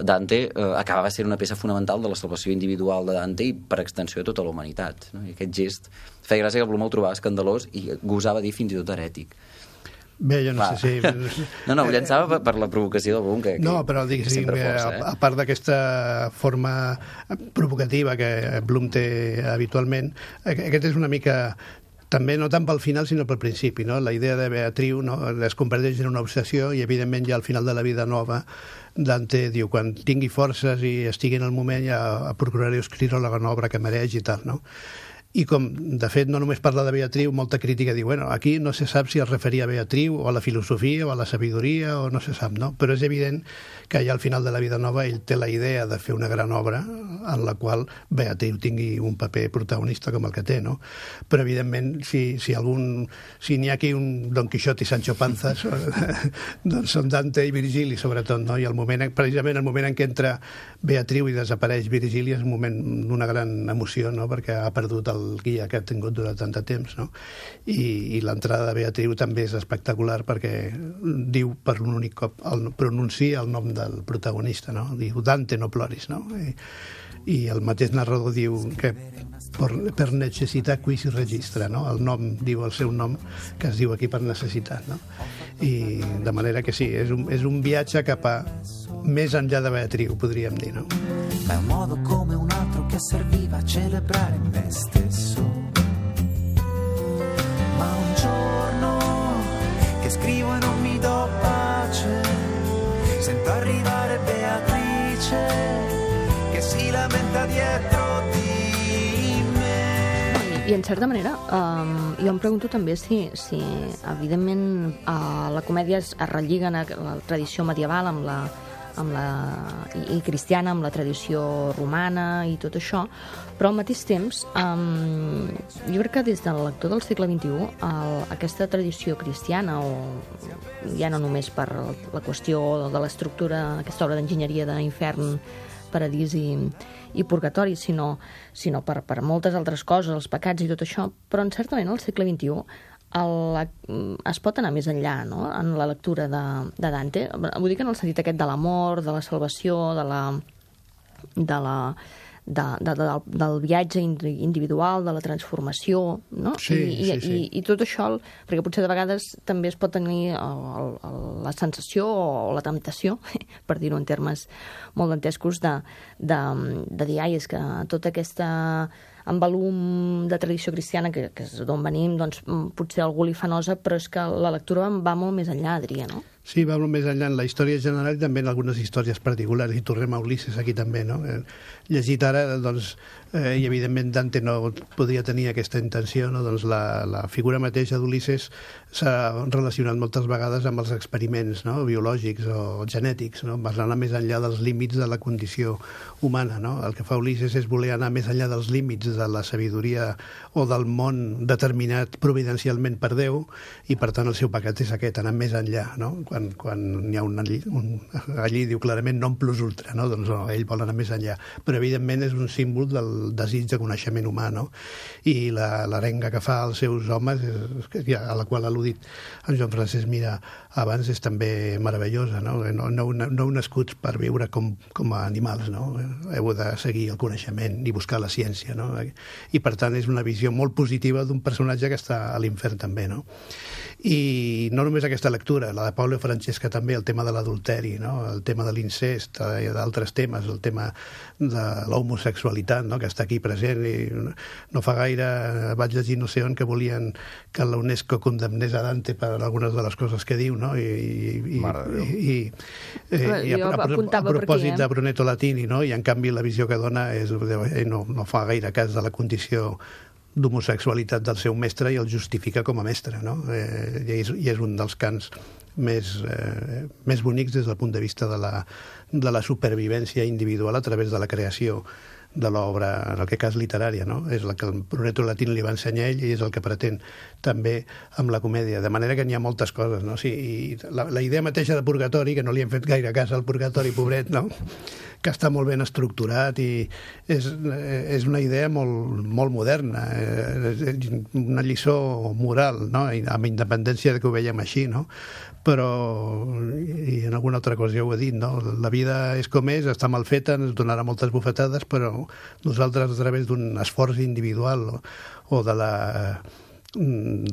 Dante, acabava sent una peça fonamental de la salvació individual de Dante i per extensió de tota la humanitat, no? I aquest gest feia gràcia que Bloom el trobava escandalós i gosava dir fins i tot herètic. Bé, jo no sé si... No, ho llançava per la provocació del Bloom, que no, però diguéssim, a part d'aquesta forma provocativa que Bloom té habitualment, aquest és una mica... També no tant pel final, sinó pel principi, no? La idea de Beatriu, no?, es converteix en una obsessió i, evidentment, ja al final de la vida nova, Dante diu, quan tingui forces i estigui en el moment, ja procuraré escriure la gran obra que mereix i tal, no? i com, de fet, no només parla de Beatriu, molta crítica diu, bueno, aquí no se sap si es referia a Beatriu o a la filosofia o a la sabidoria o no se sap, no? Però és evident que ja al final de la vida nova ell té la idea de fer una gran obra en la qual Beatriu tingui un paper protagonista com el que té, no? Però, evidentment, si n'hi ha aquí un Don Quixote i Sancho Panza, doncs són Dante i Virgili, sobretot, no? I precisament el moment en què entra Beatriu i desapareix Virgili és un moment d'una gran emoció, no? Perquè ha perdut el guia que ha tingut durant tant de temps, no? I l'entrada de Beatriu també és espectacular perquè diu per un únic cop, pronuncia el nom del protagonista, no? Diu Dante, no ploris, no? I el mateix narrador diu que per necessitat qui si registra, no? El nom diu el seu nom, que es diu aquí per necessitat, no? I de manera que sí, és un viatge cap a més enllà de Beatriu, podríem dir, no? Ma è un modo come un altro che serviva a celebrare me stesso. Ma un giorno che scrivo e non mi do pace, sento arrivare Beatrice che si lamenta dietro di me. I en certa manera, jo em pregunto també si evidentment, la comèdia es relliga a la tradició medieval i cristiana, amb la tradició romana i tot això, però al mateix temps jo crec que des del lector del segle XXI aquesta tradició cristiana, o ja no només per la qüestió de l'estructura, aquesta obra d'enginyeria d'infern, paradís i purgatori, sinó per moltes altres coses, els pecats i tot això, però en certa manera al segle XXI es pot anar més enllà, no?, en la lectura de Dante. Vull dir que en el sentit aquest de l'amor, de la salvació, del viatge individual, de la transformació, no? Sí. I tot això, perquè potser de vegades també es pot tenir la sensació o la temptació, per dir-ho en termes molt dantescos, de dir, ai, és que tota aquesta embalum de tradició cristiana, que és d'on venim, doncs potser algú li fa nosa, però és que la lectura va molt més enllà, diria, no? Sí, va molt més enllà en la història general i també en algunes històries particulars, i tornem a Ulisses aquí també, no? Llegit ara, doncs, i evidentment Dante no podria tenir aquesta intenció, no? Doncs la figura mateixa d'Ulisses s'ha relacionat moltes vegades amb els experiments, no?, biològics o genètics, no?, va anar més enllà dels límits de la condició humana, no? El que fa Ulisses és voler anar més enllà dels límits de la sabidoria o del món determinat providencialment per Déu, i per tant el seu pecat és aquest, anar més enllà, no? Quan n'hi ha allí diu clarament non plus ultra, no? Doncs no, ell vol anar més enllà, però evidentment és un símbol del desig de coneixement humà, no? I l'arenga que fa als seus homes, a la qual ha al·ludit en Joan Francesc Mirà abans, és també meravellosa, no? No nascuts per viure com a animals, no? Heu de seguir el coneixement i buscar la ciència, no? I per tant és una visió molt positiva d'un personatge que està a l'infern també, no? I no només aquesta lectura, la de Paulo Francesca també, el tema de l'adulteri, no? El tema de l'incest i d'altres temes, el tema de l'homosexualitat, no?, que està aquí present. I no fa gaire vaig llegir no sé on que volien que la UNESCO condemnés a Dante per algunes de les coses que diu, no? I a propòsit de Brunetto Latini, no? I en canvi la visió que dona és, no fa gaire cas de la condició d'homosexualitat del seu mestre i el justifica com a mestre, no? I és un dels cants més bonics des del punt de vista de la supervivència individual a través de la creació de l'obra, en aquest cas literària, no? És el que el Brunetto Latini li va ensenyar ell i és el que pretén també amb la comèdia, de manera que n'hi ha moltes coses, no? Sí, i la idea mateixa de purgatori, que no li hem fet gaire cas al purgatori, pobret, no?, que està molt ben estructurat i és una idea molt moderna, una lliçó moral, no?, amb independència de que ho veiem així, no? Però, i en alguna altra cosa ja ho he dit, no? La vida és com és, està mal feta, ens donarà moltes bufetades, però nosaltres, a través d'un esforç individual o de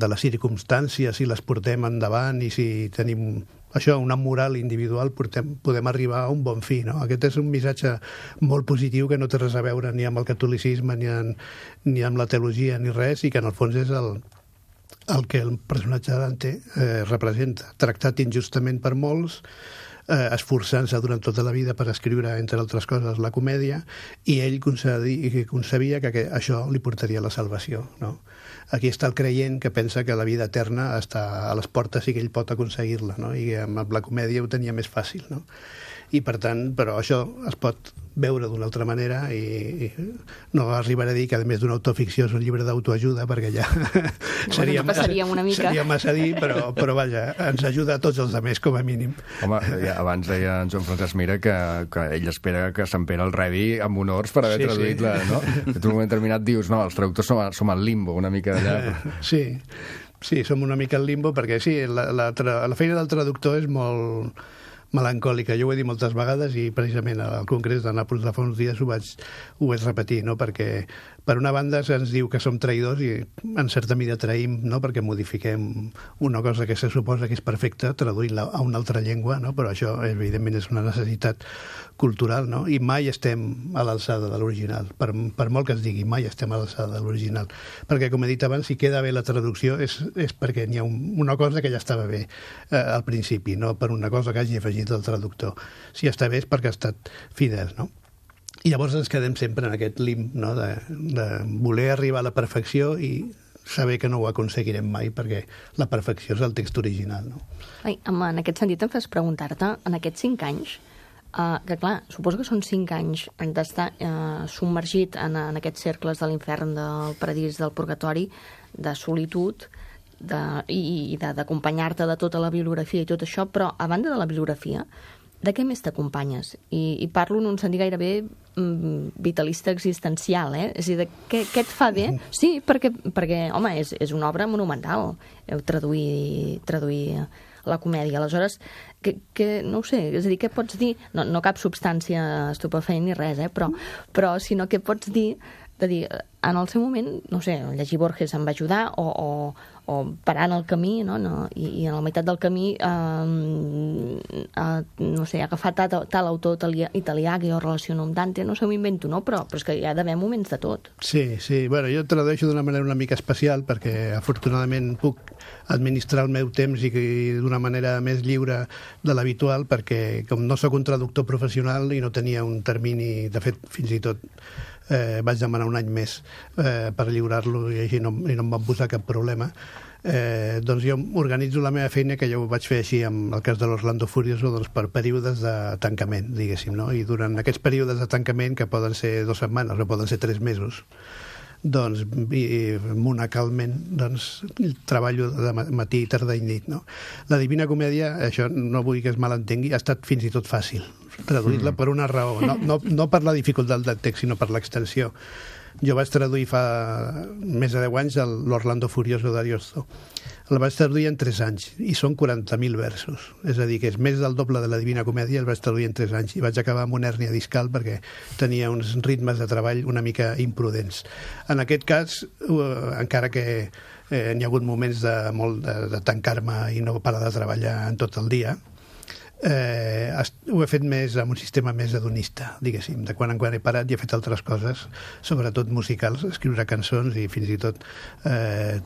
les circumstàncies, si les portem endavant i si tenim això, una moral individual, podem arribar a un bon fi, no? Aquest és un missatge molt positiu que no té res a veure ni amb el catolicisme ni amb la teologia ni res, i que en el fons és el que el personatge de Dante representa, tractat injustament per molts, esforçant-se durant tota la vida per escriure, entre altres coses, la comèdia, i ell concebia que això li portaria a la salvació, no? Aquí està el creient que pensa que la vida eterna està a les portes i que ell pot aconseguir-la, no? I amb la comèdia ho tenia més fàcil, no? I per tant, però això es pot veure d'una altra manera i no arribaré a dir que a més d'una autoficció és un llibre d'autoajuda, perquè ja seria massa dir, però vaja, ens ajuda a tots els altres, com a mínim. Home, ja, abans deia en Joan Francesc Mira que ell espera que Sant Pere el rebi amb honors per haver traduït la... No? En un moment determinat dius, no, els traductors som al limbo, una mica d'allà. Sí, som una mica al limbo, perquè sí, la feina del traductor és molt melancòlica. Jo ho he dit moltes vegades i precisament al Congrés de Nàpols de fa uns dies ho vaig repetir, no? Perquè per una banda se'ns diu que som traïdors i en certa mida traïm, no? Perquè modifiquem una cosa que se suposa que és perfecta traduint-la a una altra llengua, no? Però això evidentment és una necessitat cultural, no? I mai estem a l'alçada de l'original, per molt que es digui, mai estem a l'alçada de l'original, perquè com he dit abans, si queda bé la traducció és perquè n'hi ha una cosa que ja estava bé al principi, no per una cosa que hagi afegit el traductor. Si està bé és perquè ha estat fidel, no? I llavors ens quedem sempre en aquest limb, no? de voler arribar a la perfecció i saber que no ho aconseguirem mai perquè la perfecció és el text original, no? En aquest sentit em fas preguntar-te, en aquests 5 anys, que clar, suposo que són 5 anys d'estar submergit en aquests cercles de l'infern, del paradís, del purgatori, de solitud, i d'acompanyar-te de tota la bibliografia i tot això, però a banda de la bibliografia, de què més t'acompanyes? I parlo en un sentit gairebé vitalista existencial, eh? És a dir, què et fa bé? Sí, perquè home, és una obra monumental, traduir la comèdia. Aleshores, no ho sé, és a dir, què pots dir? No cap substància estupefaent ni res, però sinó què pots dir de dir, en el seu moment, no sé, llegir Borges em va ajudar, o parar en el camí, no? I a la meitat del camí, no sé, agafar tal autor italià que jo relaciono amb Dante, no sé, m'ho invento, no? Però és que hi ha d'haver moments de tot. Sí, bueno, jo tradueixo d'una manera una mica especial, perquè afortunadament puc administrar el meu temps i d'una manera més lliure de l'habitual, perquè com no sóc un traductor professional i no tenia un termini, de fet, fins i tot vaig demanar un any més per lliurar-lo i així no em van posar cap problema. Doncs jo organitzo la meva feina, que jo ho vaig fer així amb el cas de l'Orlando Furioso, doncs per períodes de tancament, diguéssim, no? I durant aquests períodes de tancament, que poden ser 2 setmanes o poden ser 3 mesos, doncs monacalment treballo de matí, tarda i nit, no? La Divina Comèdia, això no vull que es malentengui, ha estat fins i tot fàcil traduir-la per una raó, no per la dificultat del text, sinó per l'extensió. Jo vaig traduir fa més de 10 anys l'Orlando Furioso d'Ariosto. El vaig traduir en 3 anys i són 40.000 versos. És a dir, que és més del doble de la Divina Comèdia, el vaig traduir en 3 anys i vaig acabar amb una hèrnia discal perquè tenia uns ritmes de treball una mica imprudents. En aquest cas, encara que n'hi ha hagut moments de tancar-me i no parar de treballar en tot el dia, ho he fet més amb un sistema més hedonista, diguéssim. De quan en quan he parat i he fet altres coses, sobretot musicals, escriure cançons i fins i tot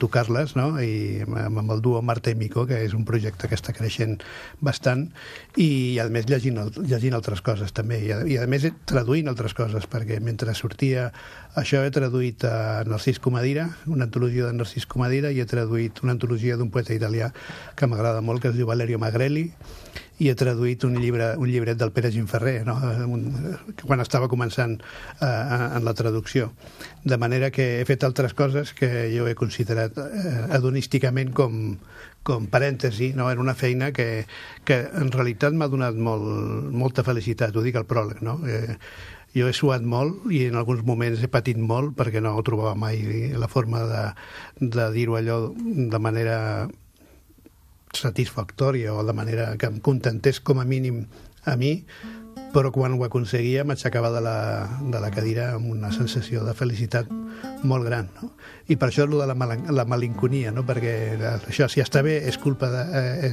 tocar-les, no? I amb el duo Marta i Mico, que és un projecte que està creixent bastant, i a més llegint altres coses també, i a més traduint altres coses, perquè mentre sortia això he traduït a Narcís Comadira, una antologia de Narcís Comadira, i he traduït una antologia d'un poeta italià que m'agrada molt, que es diu Valerio Magrelli, i he traduït un llibret del Pere Gimferrer, no? Quan estava començant en la traducció. De manera que he fet altres coses que jo he considerat hedonísticament com parèntesi, no? Era una feina que en realitat m'ha donat molta felicitat, ho dic al pròleg, no? Jo he suat molt i en alguns moments he patit molt perquè no trobava mai la forma de dir-ho allò de manera satisfactòria o de manera que em contentés com a mínim a mi, però quan ho aconseguia m'aixecava de la cadira amb una sensació de felicitat molt gran, no? I per això és de la malinconia, no? Perquè això, si està bé, és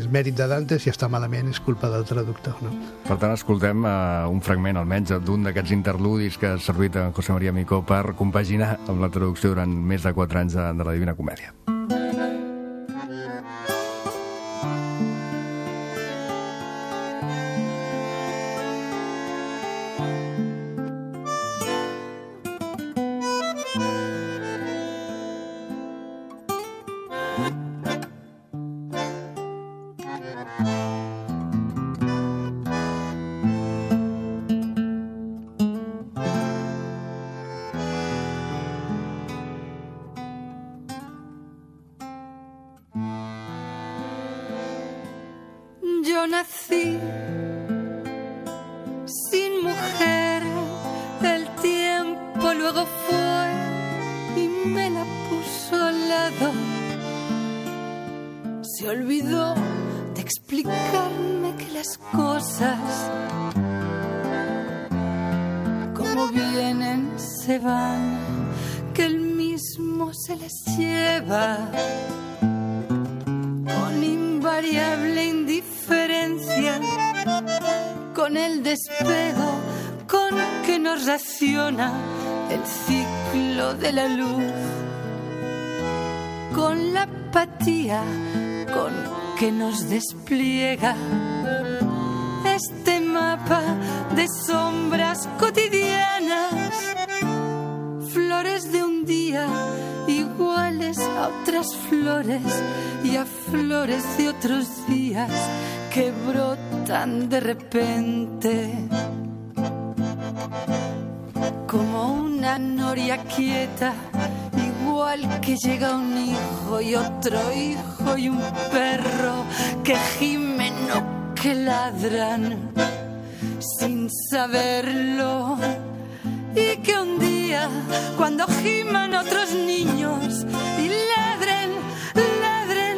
mèrit de Dante, si està malament, és culpa del traductor, no? Per tant, escoltem un fragment, almenys, d'un d'aquests interludis que ha servit a José María Micó per compaginar amb la traducció durant més de 4 anys de la Divina Comèdia. Yo nací sin mujer, el tiempo luego fue y me la puso al lado. Se olvidó de explicarme que las cosas, como vienen, se van, que él mismo se las lleva con invariable indiferencia, con el despego con que nos raciona el ciclo de la luz, con la apatía con que nos despliega este mapa de sombras cotidianas, flores de un día iguales a otras flores y a flores de otros días que brotan de repente como una noria quieta, igual que llega un hijo y otro hijo y un perro que gimen o que ladran sin saberlo, y que un día cuando giman otros niños y ladren, ladren,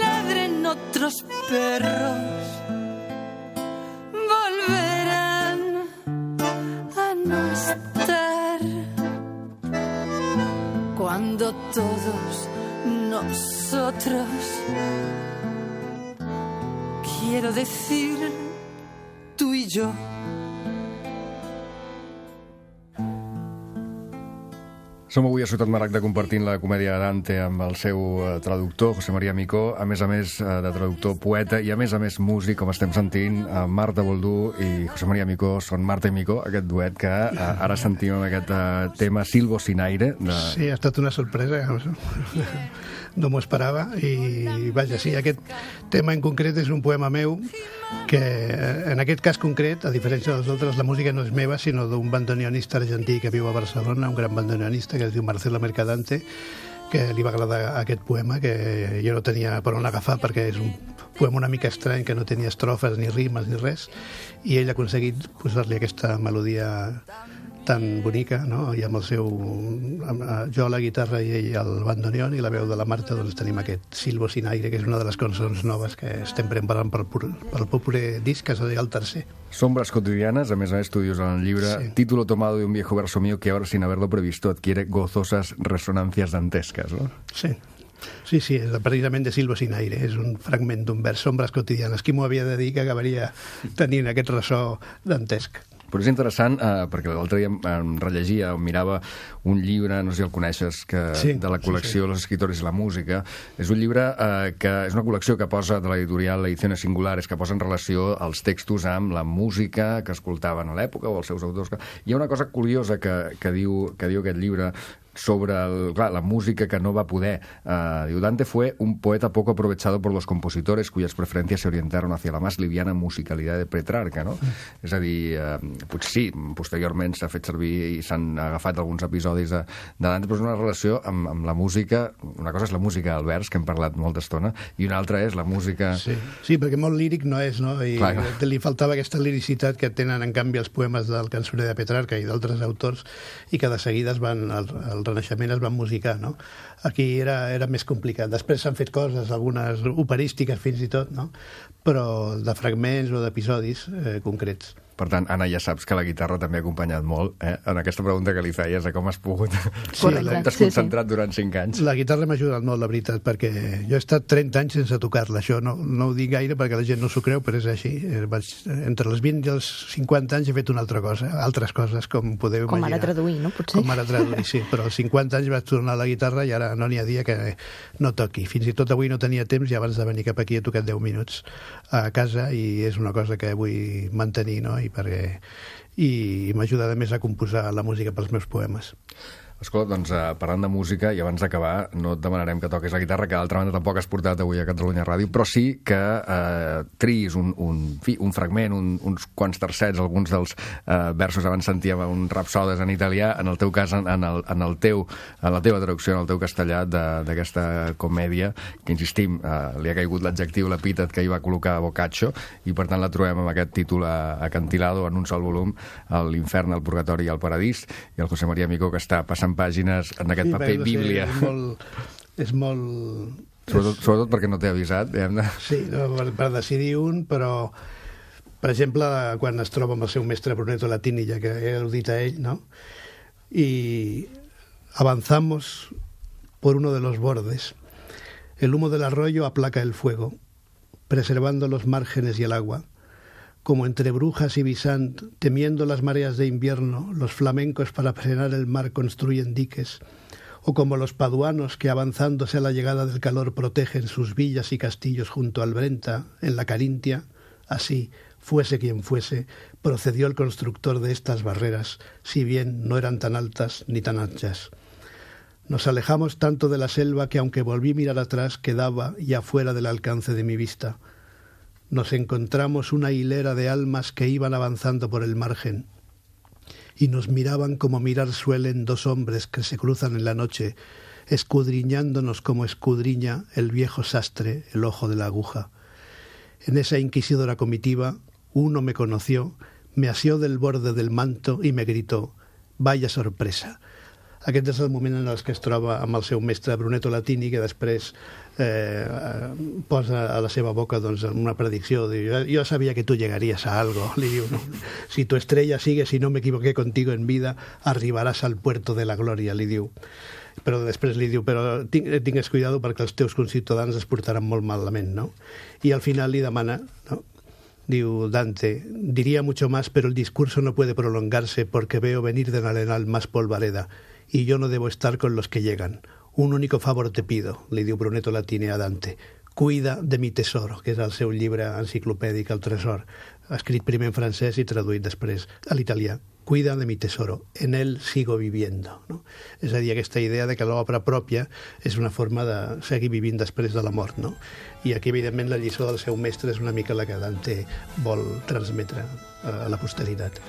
ladren otros perros, volverán a no estar cuando todos nosotros, quiero decir tú y yo, som avui a Ciutat Maragda compartint la comèdia Dante amb el seu traductor, José María Micó, a més de traductor, poeta i a més músic, com estem sentint. Marta Boldú i José María Micó són Marta i Micó, aquest duet que ara sentim amb aquest tema Silvo sin aire. Sí, ha estat una sorpresa, no m'ho esperava, i vaja, sí, aquest tema en concret és un poema meu que, en aquest cas concret, a diferència dels altres, la música no és meva, sinó d'un bandoneonista argentí que viu a Barcelona, un gran bandoneonista que es diu Marcelo Mercadante, que li va agradar aquest poema, que jo no tenia per on agafar perquè és un poema una mica estrany, que no tenia estrofes ni rimes ni res, i ell ha aconseguit posar-li aquesta melodia tan bonica, no? I amb el seu... jo a la guitarra i ell al bandoneon, i la veu de la Marta, doncs tenim aquest Silvo sin aire, que és una de les cançons noves que estem preparant pel proper disc, que serà el tercer. Sombras cotidianas, a més tu dius en el llibre, sí. Título tomado de un viejo verso mío que ahora, sin haberlo previsto, adquiere gozosas resonancias dantescas, ¿no? Sí. Sí, sí, és precisament de Silvo sin aire, és un fragment d'un vers, Sombras cotidianas. Qui m'ho havia de dir que acabaria tenint aquest ressò dantesc? Però és interessant, perquè l'altre dia em rellegia, em mirava un llibre, no sé si el coneixes, de la col·lecció Los escritores i la música. És un llibre que és una col·lecció que posa de l'editorial Ediciones Singulares, que posa en relació els textos amb la música que escoltaven a l'època o els seus autors. Hi ha una cosa curiosa que diu aquest llibre sobre la música que no va poder. Diu, Dante fue un poeta poco aprovechado por los compositores cuyas preferencias se orientaron hacia la más liviana musicalidad de Petrarca, no? És a dir, potser sí, posteriorment s'ha fet servir i s'han agafat alguns episodis de Dante, però és una relació amb la música. Una cosa és la música del vers, que hem parlat molta estona, i una altra és la música... Sí, perquè molt líric no és, no? I li faltava aquesta liricitat que tenen, en canvi, els poemes del cançoner de Petrarca i d'altres autors, i que de seguida es van... El Renaixement es van musicar, no? Aquí era més complicat. Després s'han fet coses, algunes operístiques fins i tot, no? Però de fragments o d'episodis concrets. Per tant, Anna, ja saps que la guitarra també ha acompanyat molt, en aquesta pregunta que li feies, de com has pogut t'has concentrat durant 5 anys. La guitarra m'ha ajudat molt, la veritat, perquè jo he estat 30 anys sense tocar-la. Això no ho dic gaire perquè la gent no s'ho creu, però és així. Entre els 20 i els 50 anys he fet una altra cosa, altres coses, com podeu imaginar. Com ara traduir, no? Potser. Com ara traduir, sí. Però als 50 anys vaig tornar a la guitarra i ara no n'hi ha dia que no toqui. Fins i tot avui no tenia temps i abans de venir cap aquí he tocat 10 minuts a casa, i és una cosa que vull mantenir, no? I m'ajuda a més a composar la música pels meus poemes. Escolta, doncs parlant de música, i abans d'acabar, no et demanarem que toquis la guitarra, que d'altra banda tampoc has portat avui a Catalunya Ràdio, però sí que triïs un fragment, uns quants tercets, alguns dels versos, abans sentíem un rapsodes en italià, en el teu cas, en la teva traducció, en el teu castellà, d'aquesta comèdia, que insistim, li ha caigut l'adjectiu, l'epítet que hi va col·locar Boccaccio, i per tant la trobem amb aquest títol acantilado, en un sol volum, l'Infern, el Purgatori i el Paradís, i el José María Micó, que està passant pàgines en aquest paper bíblia. És molt... Sobretot perquè no t'he avisat, diguem-ne. Sí, per decidir un, però, per exemple, quan es troba amb el seu mestre Brunetto Latini, ja que he al·ludit a ell, ¿no? Y avanzamos por uno de los bordes. El humo del arroyo aplaca el fuego, preservando los márgenes y el agua. Como entre Brujas y Bisant, temiendo las mareas de invierno, los flamencos para frenar el mar construyen diques, o como los paduanos que avanzándose a la llegada del calor protegen sus villas y castillos junto al Brenta, en la Carintia, así, fuese quien fuese, procedió el constructor de estas barreras, si bien no eran tan altas ni tan anchas. Nos alejamos tanto de la selva que aunque volví a mirar atrás, quedaba ya fuera del alcance de mi vista. Nos encontramos una hilera de almas que iban avanzando por el margen y nos miraban como mirar suelen dos hombres que se cruzan en la noche, escudriñándonos como escudriña el viejo sastre el ojo de la aguja. En esa inquisidora comitiva, uno me conoció, me asió del borde del manto y me gritó: «Vaya sorpresa». Aquest és el moment en el que es troba amb el seu mestre Brunetto Latini, que després posa a la seva boca una predicció. Yo sabía que tú llegarías a algo. Le diu, no, si tu estrella sigue, si no me equivoqué contigo en vida, arribaràs al puerto de la gloria, li diu. Però després li diu, però tingues cuidado perquè els teus conciutadans es portaran molt malament, no? I al final li demana, no? Diu Dante, diría mucho más, pero el discurso no puede prolongarse porque veo venir del arenal más polvareda y yo no debo estar con los que llegan. Un único favor te pido, li diu Brunetto Latini a Dante. Cuida de mi tesoro, que és el seu llibre enciclopèdic, El tresor, escrit primer en francès i traduït després a l'italià. Cuida de mi tesoro, en él sigo viviendo. No? És a dir, aquesta idea de que l'obra pròpia és una forma de seguir vivint després de la mort. No? I aquí, evidentment, la lliçó del seu mestre és una mica la que Dante vol transmetre a la posteritat.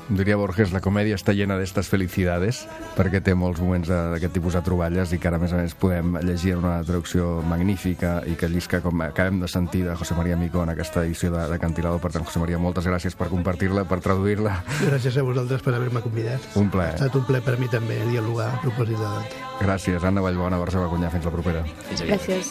Diria Borges, la comèdia està llena d'estes felicidades, perquè té molts moments d'aquest tipus de troballes i que ara, a més, podem llegir una traducció magnífica i que llisca, com acabem de sentir, de José María Micó en aquesta edició de Cantilado. Per tant, José María, moltes gràcies per compartir-la, per traduir-la. Gràcies a vosaltres per haver-me convidat. Un plaer. Ha estat un plaer per mi també dialogar a propòsit de Dante. Gràcies, Anna Vallbona, Barcelona Cunyà. Fins la propera. Gràcies.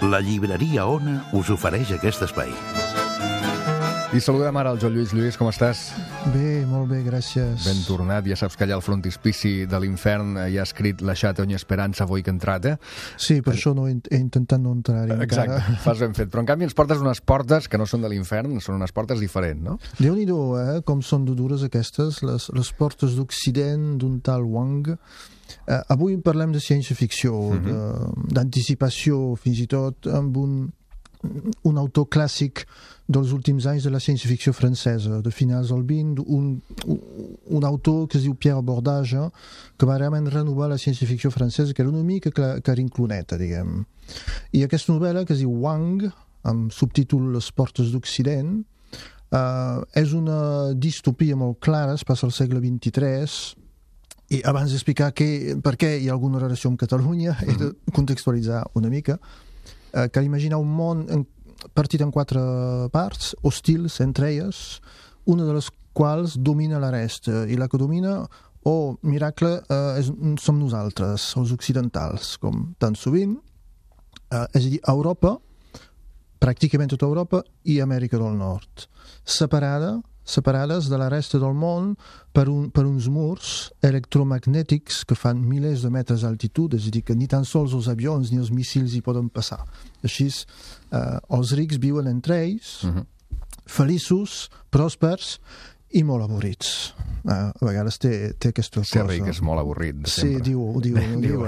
La llibreria Ona us ofereix aquest espai. I saludem ara el Joan Lluís. Lluís, com estàs? Bé, molt bé, gràcies. Ben tornat. Ja saps que allà al frontispici de l'Infern hi ha escrit «Lasciate ogni speranza voi che entrate». Sí, per això he intentat no entrar-hi encara. Exacte, fas ben fet. Però en canvi ens portes unes portes que no són de l'Infern, són unes portes diferents, no? Déu-n'hi-do, com són dures aquestes, les portes d'Occident d'un tal Wang. Avui parlem de ciència-ficció, d'anticipació, fins i tot amb un autor clàssic dels últims anys de la ciència-ficció francesa, de finals del XX, un autor que es diu Pierre Bordage, que va realment renovar la ciència-ficció francesa, que era una mica carincloneta, diguem. I aquesta novel·la, que es diu Wang, amb subtítol Les portes d'Occident, és una distopia molt clara, es passa al segle XXIII, i abans d'explicar per què hi ha alguna relació amb Catalunya, he de contextualitzar una mica. Cal imaginar un món partit en 4 parts, hostils entre elles, una de les quals domina la resta, i la que domina, miracle, som nosaltres, els occidentals, com tan sovint, és a dir, Europa, pràcticament tota Europa, i Amèrica del Nord, separades de la resta del món per uns murs electromagnètics que fan milers de metres d'altitud, és a dir, que ni tan sols els avions ni els míssils hi poden passar. Així, els rics viuen entre ells, feliços, pròspers i molt avorrits. A vegades té aquesta cosa. Ser ric és molt avorrit, sempre. Sí, ho diu.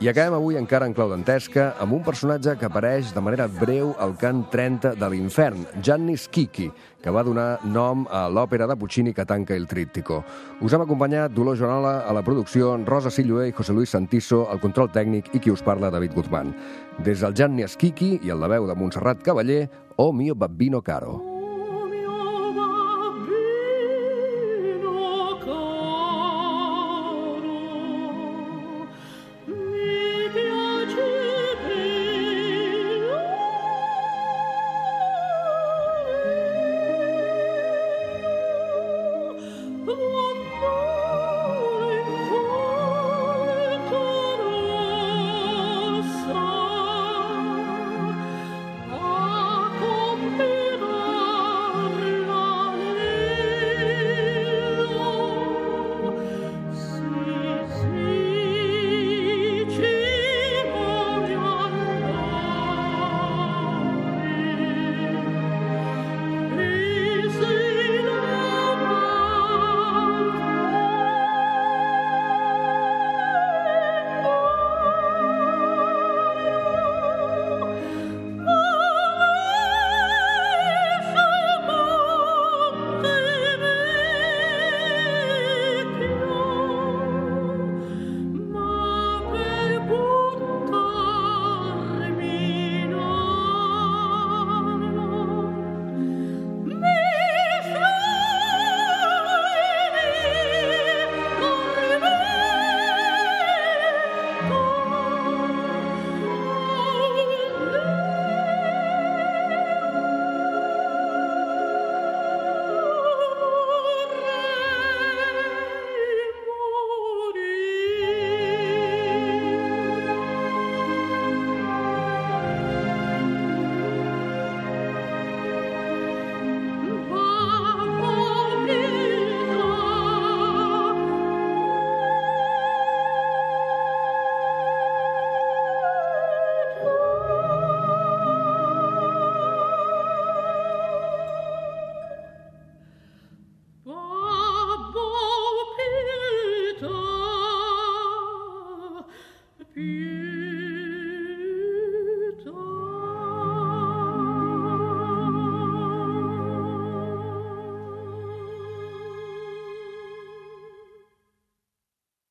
I acabem avui encara en clau dantesca amb un personatge que apareix de manera breu al cant 30 de l'Infern, Gianni Schicchi, que va donar nom a l'òpera de Puccini que tanca el tríptico. Us hem acompanyat Dolors Joanola a la producció, Rosa Silloé i José Luis Santiso al control tècnic i qui us parla, David Guzmán. Des del Gianni Schicchi i el la veu de Montserrat Cavaller, O mio babbino caro.